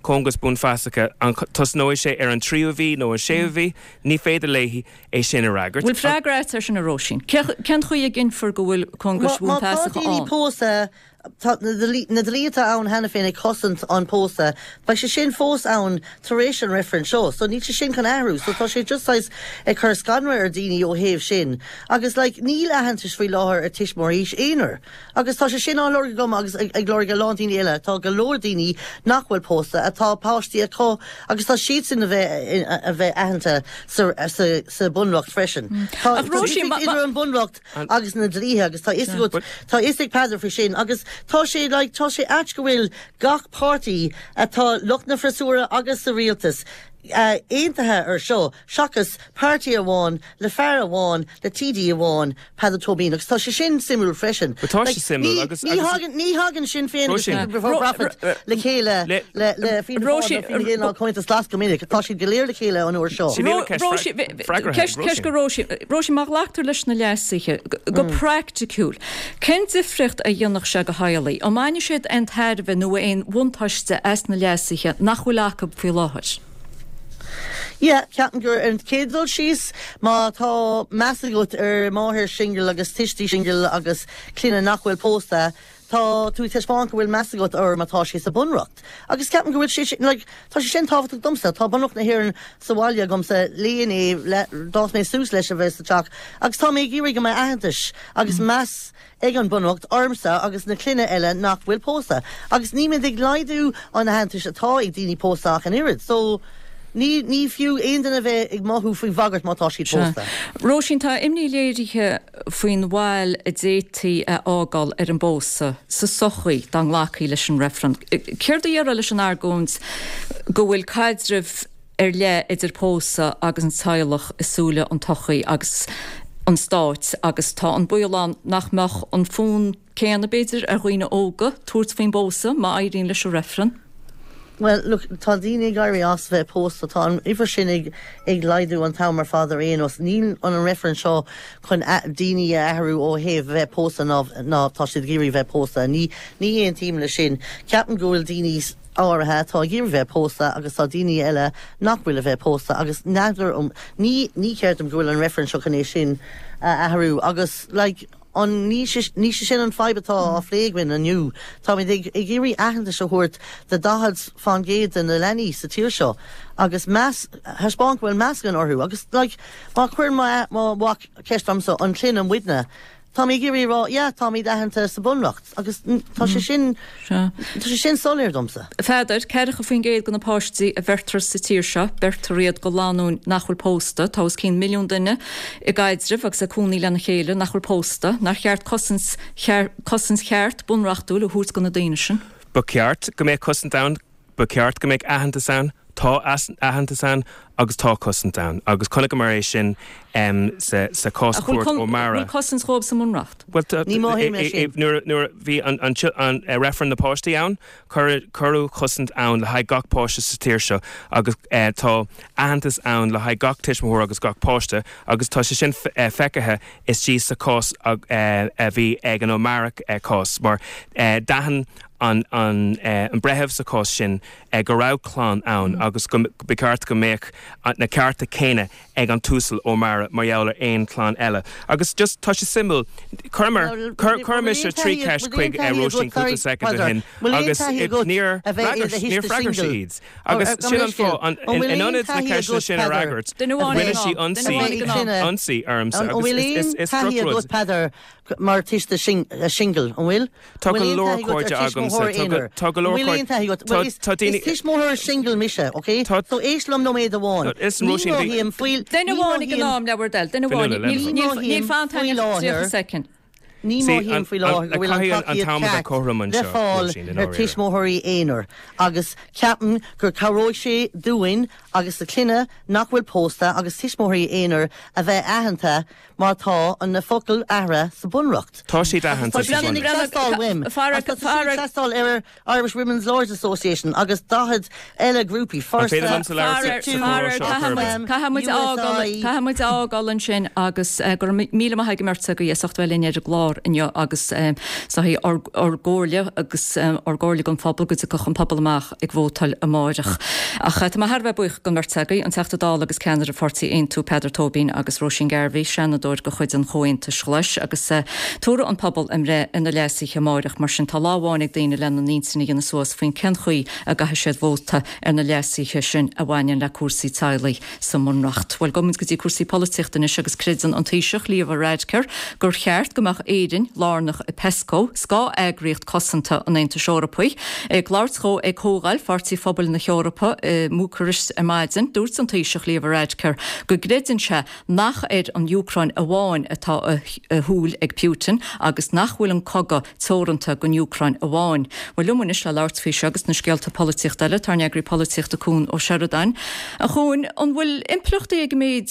cóngas buanfhasacha, an tosnóidh sé ar an tríú mhí nó an séú mhí, ní féidir léi é sin a fhreagairt.
Bhfuil freagra agat air sin, a Róisín? Cén chaoi a gcinnfear go bhfuil cóngais
Má tá
bhuanfheasacha
daoine
ann?
pósta Tá na dlíthe atá ann cheana féin ag cosaint an pósadh, beidh sé sin fós ann tar éis an reifrinn seo, so níl sé sin chun athrú, so tá sé just saghas ag cur scanradh ar daoine ó thaobh sin. Agus like níl aitheantais faoi láthair ar tuismitheoirí aonair agus tá sé sin á lorg agam agus ag lorg a lán daoine eile, tá go leor daoine nach bhfuil pósta atá páistí acu agus tá siadsan a bheith a bheith aitheanta sa sa sa bunreacht freisin. Tá
Ach Róisín,
difríocht idir an bunreacht agus na dlíthe agus tá fhios agat, tá fhios ag Peadar faoi sin agus tá sé like tá sé ait go bhfuil gach páirtí atá lucht na freasúra agus sa rialtas aontaithe ar seo seachas páirtí amháin le fear amháin le TD amháin, Peadar Tóibín agus tá sé sin suimiúil freisin.
But tá sé suimiúil agus
Ní thagann ní thagann Sinn Féin agus People Before Profit le chéile le le Fianna Fáil nó Fine Gael ná Comhaontas Glas go minic. Tá siad go léir le chéile an uair seo.
Ceist go Róisín. Róisín, má ghlactar leis na leasuithe, go praiticiúil, cén difríocht a dhéanfadh sé do theaghlaigh? An mbainfidh siad aon tairbhe nó aon bhuntáiste as na leasuithe nach bhfuil acu faoi láthair?
Yeah, ceapaim gur ar an chéad dul síos, má tá meas agat ar máthair singil agus tuistí singil agus clainne nach bhfuil pósta, Tá tú ag taispeáint go bhfuil meas agat orthu má tá sé sa Bunreacht. Agus ceapaim go bhfuil sé sin, like, tá sé sin tábhachtach domsa. Tá Bunreacht na hÉireann sa bhaile agamsa, léigh é, le, d'fhás mé suas leis a bheith sa teach agus tá mé ag iarraidh go mbeidh aitheantas agus meas ag an Bunreacht ormsa agus na clainne eile nach bhfuil pósta. Agus nílimid ag laghdú an aitheantais atá ag daoine pósta ach an oiread. So, ní, ní fiú aon duine a bheith ag mothú faoi bhagairt má tá siad
Sea.
pósta.
Róisín, tá imní léirithe faoin bhail a d'fhéadfaí a fhágáil ar an bpósadh sa tsochaí dá nglacfaí leis an reifreann. Céard a déarfá leis an argóint go bhfuil caidreamh ar leith idir pósadh agus an teaghlach i súile an tsochaí agus an stáit agus tá an baol ann nach mbeadh an fonn céanna, b'fhéidir, ar dhaoine óga tabhairt faoin bpósadh má éiríonn leis an reifreann.
Bhuel, look, tá daoine ag éirí as bheith pósta, tá an uimhir sin ag ag laghdú an t-am ar fad ar aon nós. Níl an reifreann seo chun daoine a athrú ó thaobh bheith pósta ná ná tá siad ag iarraidh bheith pósta. Ní ní aontaím leis sin. Ceapaim go bhfuil daoine áirithe atá ag iarraidh bheith pósta agus tá daoine eile nach bhfuil a bheith pósta agus n'fheadar um ní ní ceart dom go bhfuil an reifreann seo chun é sin a athrú agus like An ní sé sin an fadhb atá á phlé againn inniu? Táimid ag iarraidh aitheantas a thabhairt do 40% de na leanaí sa tír seo agus meas, thaispeáint go bhfuil meas againn orthu. Agus like, má chuireann mo mhac ceist ormsa, an clainne muidne, tá mé ag iarraidh a rá, yeah, táimid aitheanta sa Bhunreacht agus tá sé sin, tá sé sin soiléir domsa.
Pheadair, 40% de na páistí a bheirtear sa tír seo, beirtear iad go lánúin nach bhfuil pósta. Tá os cionn milliún duine i gcaidreamh agus ag cónaí lena chéile nach bhfuil pósta. Nár cheart cosaint cosaint cheart bunreachtúil a thabhairt do na daoine sin?
Ba cheart go mbeadh cosaint ann. Ba cheart go mbeadh aitheantas ann. Tá aitheantas ann agus tá cosaint ann. Agus chonaiceamar é sin sa chás
cúirt O'Mara. Bhfuil cosaint dhóibh sa mBunreacht?
Bhuel, Ní mothaím é sin. Nuair a bhí an reifreann na páistí ann, cuireadh cosaint ann le haghaidh gach páiste sa tír seo agus tá aitheantas ann le haghaidh gach tuismitheoir agus gach páiste agus tá sé sin feicthe istigh sa chás a bhí ag an O'Mara cás mar d'aithin an breitheamh sa chás sin go raibh clann ann agus go ba cheart go mbeadh. na cearta céanna ag an tUasal O'Meara mar gheall ar aon chlann eile. Agus just, tá sé suimiúil, chuireamar, chuir mise 3 cheist chuig Róisín cúpla soicind ó shin agus níor fhreagair, níor fhreagair sí iad. Agus sin an fáth, in ionad na ceisteanna sin a fhreagairt, rinne sí ionsaí, ionsaí ormsa agus is drochrud.
Mar tuiste singil, an bhfuil?
Tá go leor cairde agamsa, tá go leor cairde, tá daoine.
Is tuismitheoir singil mise, ok? So éist liom nóiméad amháin.
Ní
mothaím faoi.
Duine amháin ag an am, le bhur dtoil, duine amháin. Níl fanta ach 30 soicind.
Ní mothaím faoi láthair go bhfuil an tacaíocht ceart le fáil ar tuismitheoirí aonair agus ceapaim gur cabhróidh sé dúinn agus do clainne nach bhfuil pósta agus tuismitheoirí aonair a bheith aitheanta Mar tá an na focail athraithe sa Bunreacht.
Tá siad aitheanta
sa Bunreacht. Agus tá sé sin ag teastáil uaim. Agus tá sé sin ag teastáil ar Irish Women's Lawyers Association agus 40 eile grúpaí,
An féidir liomsa labhairt sa chomhrá seo a chur
Faraor, caithfidh muid a fhágáil ansin agus go raibh míle maith ag an mbeirt agaibh as ucht a bheith linn ar an gclár inniu agus is dóigh ár gcomhairle agus ár gcomhairle don phobal go dtiocfadh an pobal amach ag vótáil amáireach. Ach tá mé thar a bheith buíoch don bheirt agaibh, an Teachta Dála agus ceannaire Pháirtí Aontú, Peadar Tóibín agus Róisín Garvey, Seanadóir de chuid an Chomhaontais Ghlais. Agus tabharfaidh an pobal a mbreith ar na leasuithe amáireach, mar sin tá lá amháin ag daoine lena n-intinn a dhéanamh suas faoin cén chaoi a gcaithfidh siad vóta ar na leasuithe sin a bhaineann le cúrsaí teaghlaigh sa mBunreacht. Bhuel, gabhfaidh muid go dtí cúrsaí polaitíochta anois agus creideann an Taoiseach, Leo Varadkar, gur cheart go mbeadh Éirinn lárnach i Pesco, scáth-eagraíocht cosanta an Aontais Eorpaigh. Ag labhairt dhó ag Comhdháil Pháirtí Phobail na hEorpa i mBúcairist ar maidin, dúirt an Taoiseach Leo Varadkar go gcreideann sé nach ar an Úcráin amháin atá a shúil ag Putin agus nach bhfuil an cogadh teoranta don Úcráin amháin. Bhuel, liom anois le labhairt faoi seo agus na scéalta polaitíochta eile, tá ár n-eagraí polaitíochta Cuan Ó Seireadáin. A Chuain, an bhfuil impleachtaí ag an méid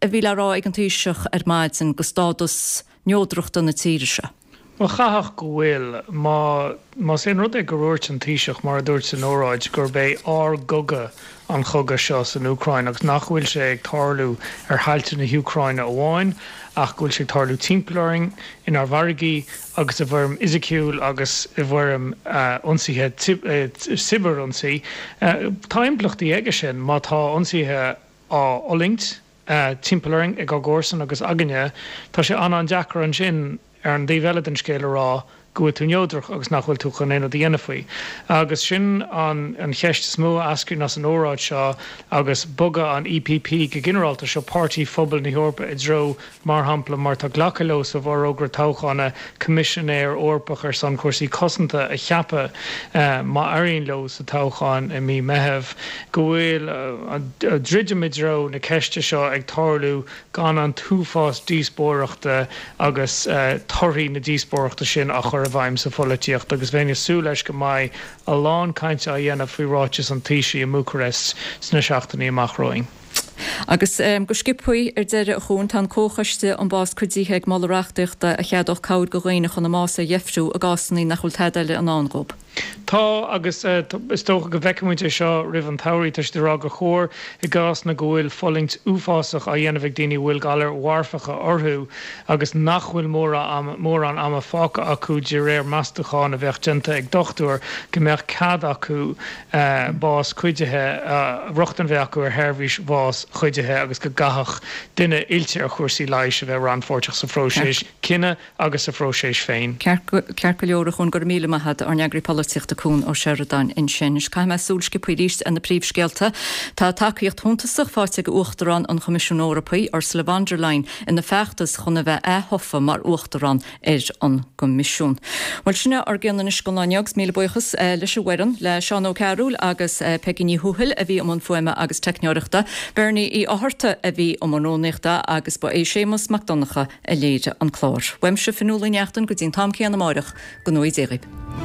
a bhí le rá ag an Taoiseach ar maidin do stádas neodrachta na tíre seo?
Bhuel, chaithfeadh go bhfuil. Má, más aon rud é gur dhúirt an Taoiseach, mar a dúirt san óráid, gurb é ár gcogadh an chogadh seo san Úcráin agus nach bhfuil sé ag tarlú ar thailte na hÚcráine amháin ach go bhfuil sé ag tarlú timpeall orainn, inár bhfarraigí agus i bhfoirm fhisiciúil agus i bhfoirm ionsaithe, cibear-ionsaí. Tá impleachtaí aige sin má tá ionsaithe á fhulaingt timpeall orainn ag ár gcomharsain agus againne. Tá sé an-an-deacair ansin ar an dtaobh eile den scéal a rá go bhfuil tú neodrach agus nach bhfuil tú chun aon rud a dhéanamh faoi. Agus sin an cheist is mó a eascraíonn as an óráid seo agus bogadh an EPP go ginearálta, seo Páirtí Phobail na hEorpa i dtreo, mar shampla, mar tá glactha leo sa bhforógra toghchána, Coimisinéir Eorpach ar son cúrsaí cosanta a cheapadh má éiríonn leo sa toghchán i mí Meitheamh, go bhfuil druidim i dtreo na ceiste seo ag tarlú gan an t-uafás díospóireachta agus torthaí na díospóireachta sin á chur i bhfeidhm sa pholaitíocht agus bheinn ag súil leis go mbeidh a lán cainte á dhéanamh faoi ráiteas an Taoisigh i mBúcairest sna seachtainí amach romhainn.
Agus go sciobthaí ar deireadh, a Chuain, tá an Comhchoiste um Bás Cuidithe ag moladh reachtaíochta a cheadódh cabhair do dhaoine chun a mbás a dheifriú i gcásanna nach bhfuil tada eile i ndán dhóibh.
Tá, agus is dócha go bhfeicfidh muid é seo roimh an tsamhraidh. Tá siad ag rá gur chóir, i gcásanna go bhfuil fulaingt uafásach á dhéanamh ag daoine a bhfuil galair mharfacha orthu agus nach bhfuil mórán ama fágtha acu de réir meastachán a bheadh déanta ag dochtúir, go mbeadh cead acu bás cuidithe, rochtain a bheith acu ar sheirbhís bhás chuidithe agus go gcaithfeadh duine oilte ar chúrsaí leighis a bheith rannpháirteach sa phróiseas cinnidh. agus sa phróiseas féin.
Ceart go leor, a Chuain, go raibh míle maith agat, ár n-eagraí polaitíochta Cuan Ó Seireadáin ansin. Anois caithfidh mé súil sciobtha arís ar na príomhscéalta. Tá tacaíocht shuntasach faighte ag Uachtarán an Choimisiúin Eorpaigh, Ursula von der Leyen, ina feachtas chun a bheith ath-thofa mar Uachtarán ar an gCoimisiún. Bhuel, sin é ár gcion anois don lá inniu agus míle buíochas leis an bhfoireann, le Seán Ó Cearúil agus Peigí Ní Thuathail a bhí i mbun fuaime agus teicneoireachta, Bernie Uí Fhátharta a bhí i mbun rúnaíochta agus ba é Séamus Mac Donncha a léirigh an clár. Uaimse, Fionnuala Ní Neachtain, go dtí an t-am céanna amáireach, go ngnóthaí Dé dhaoibh.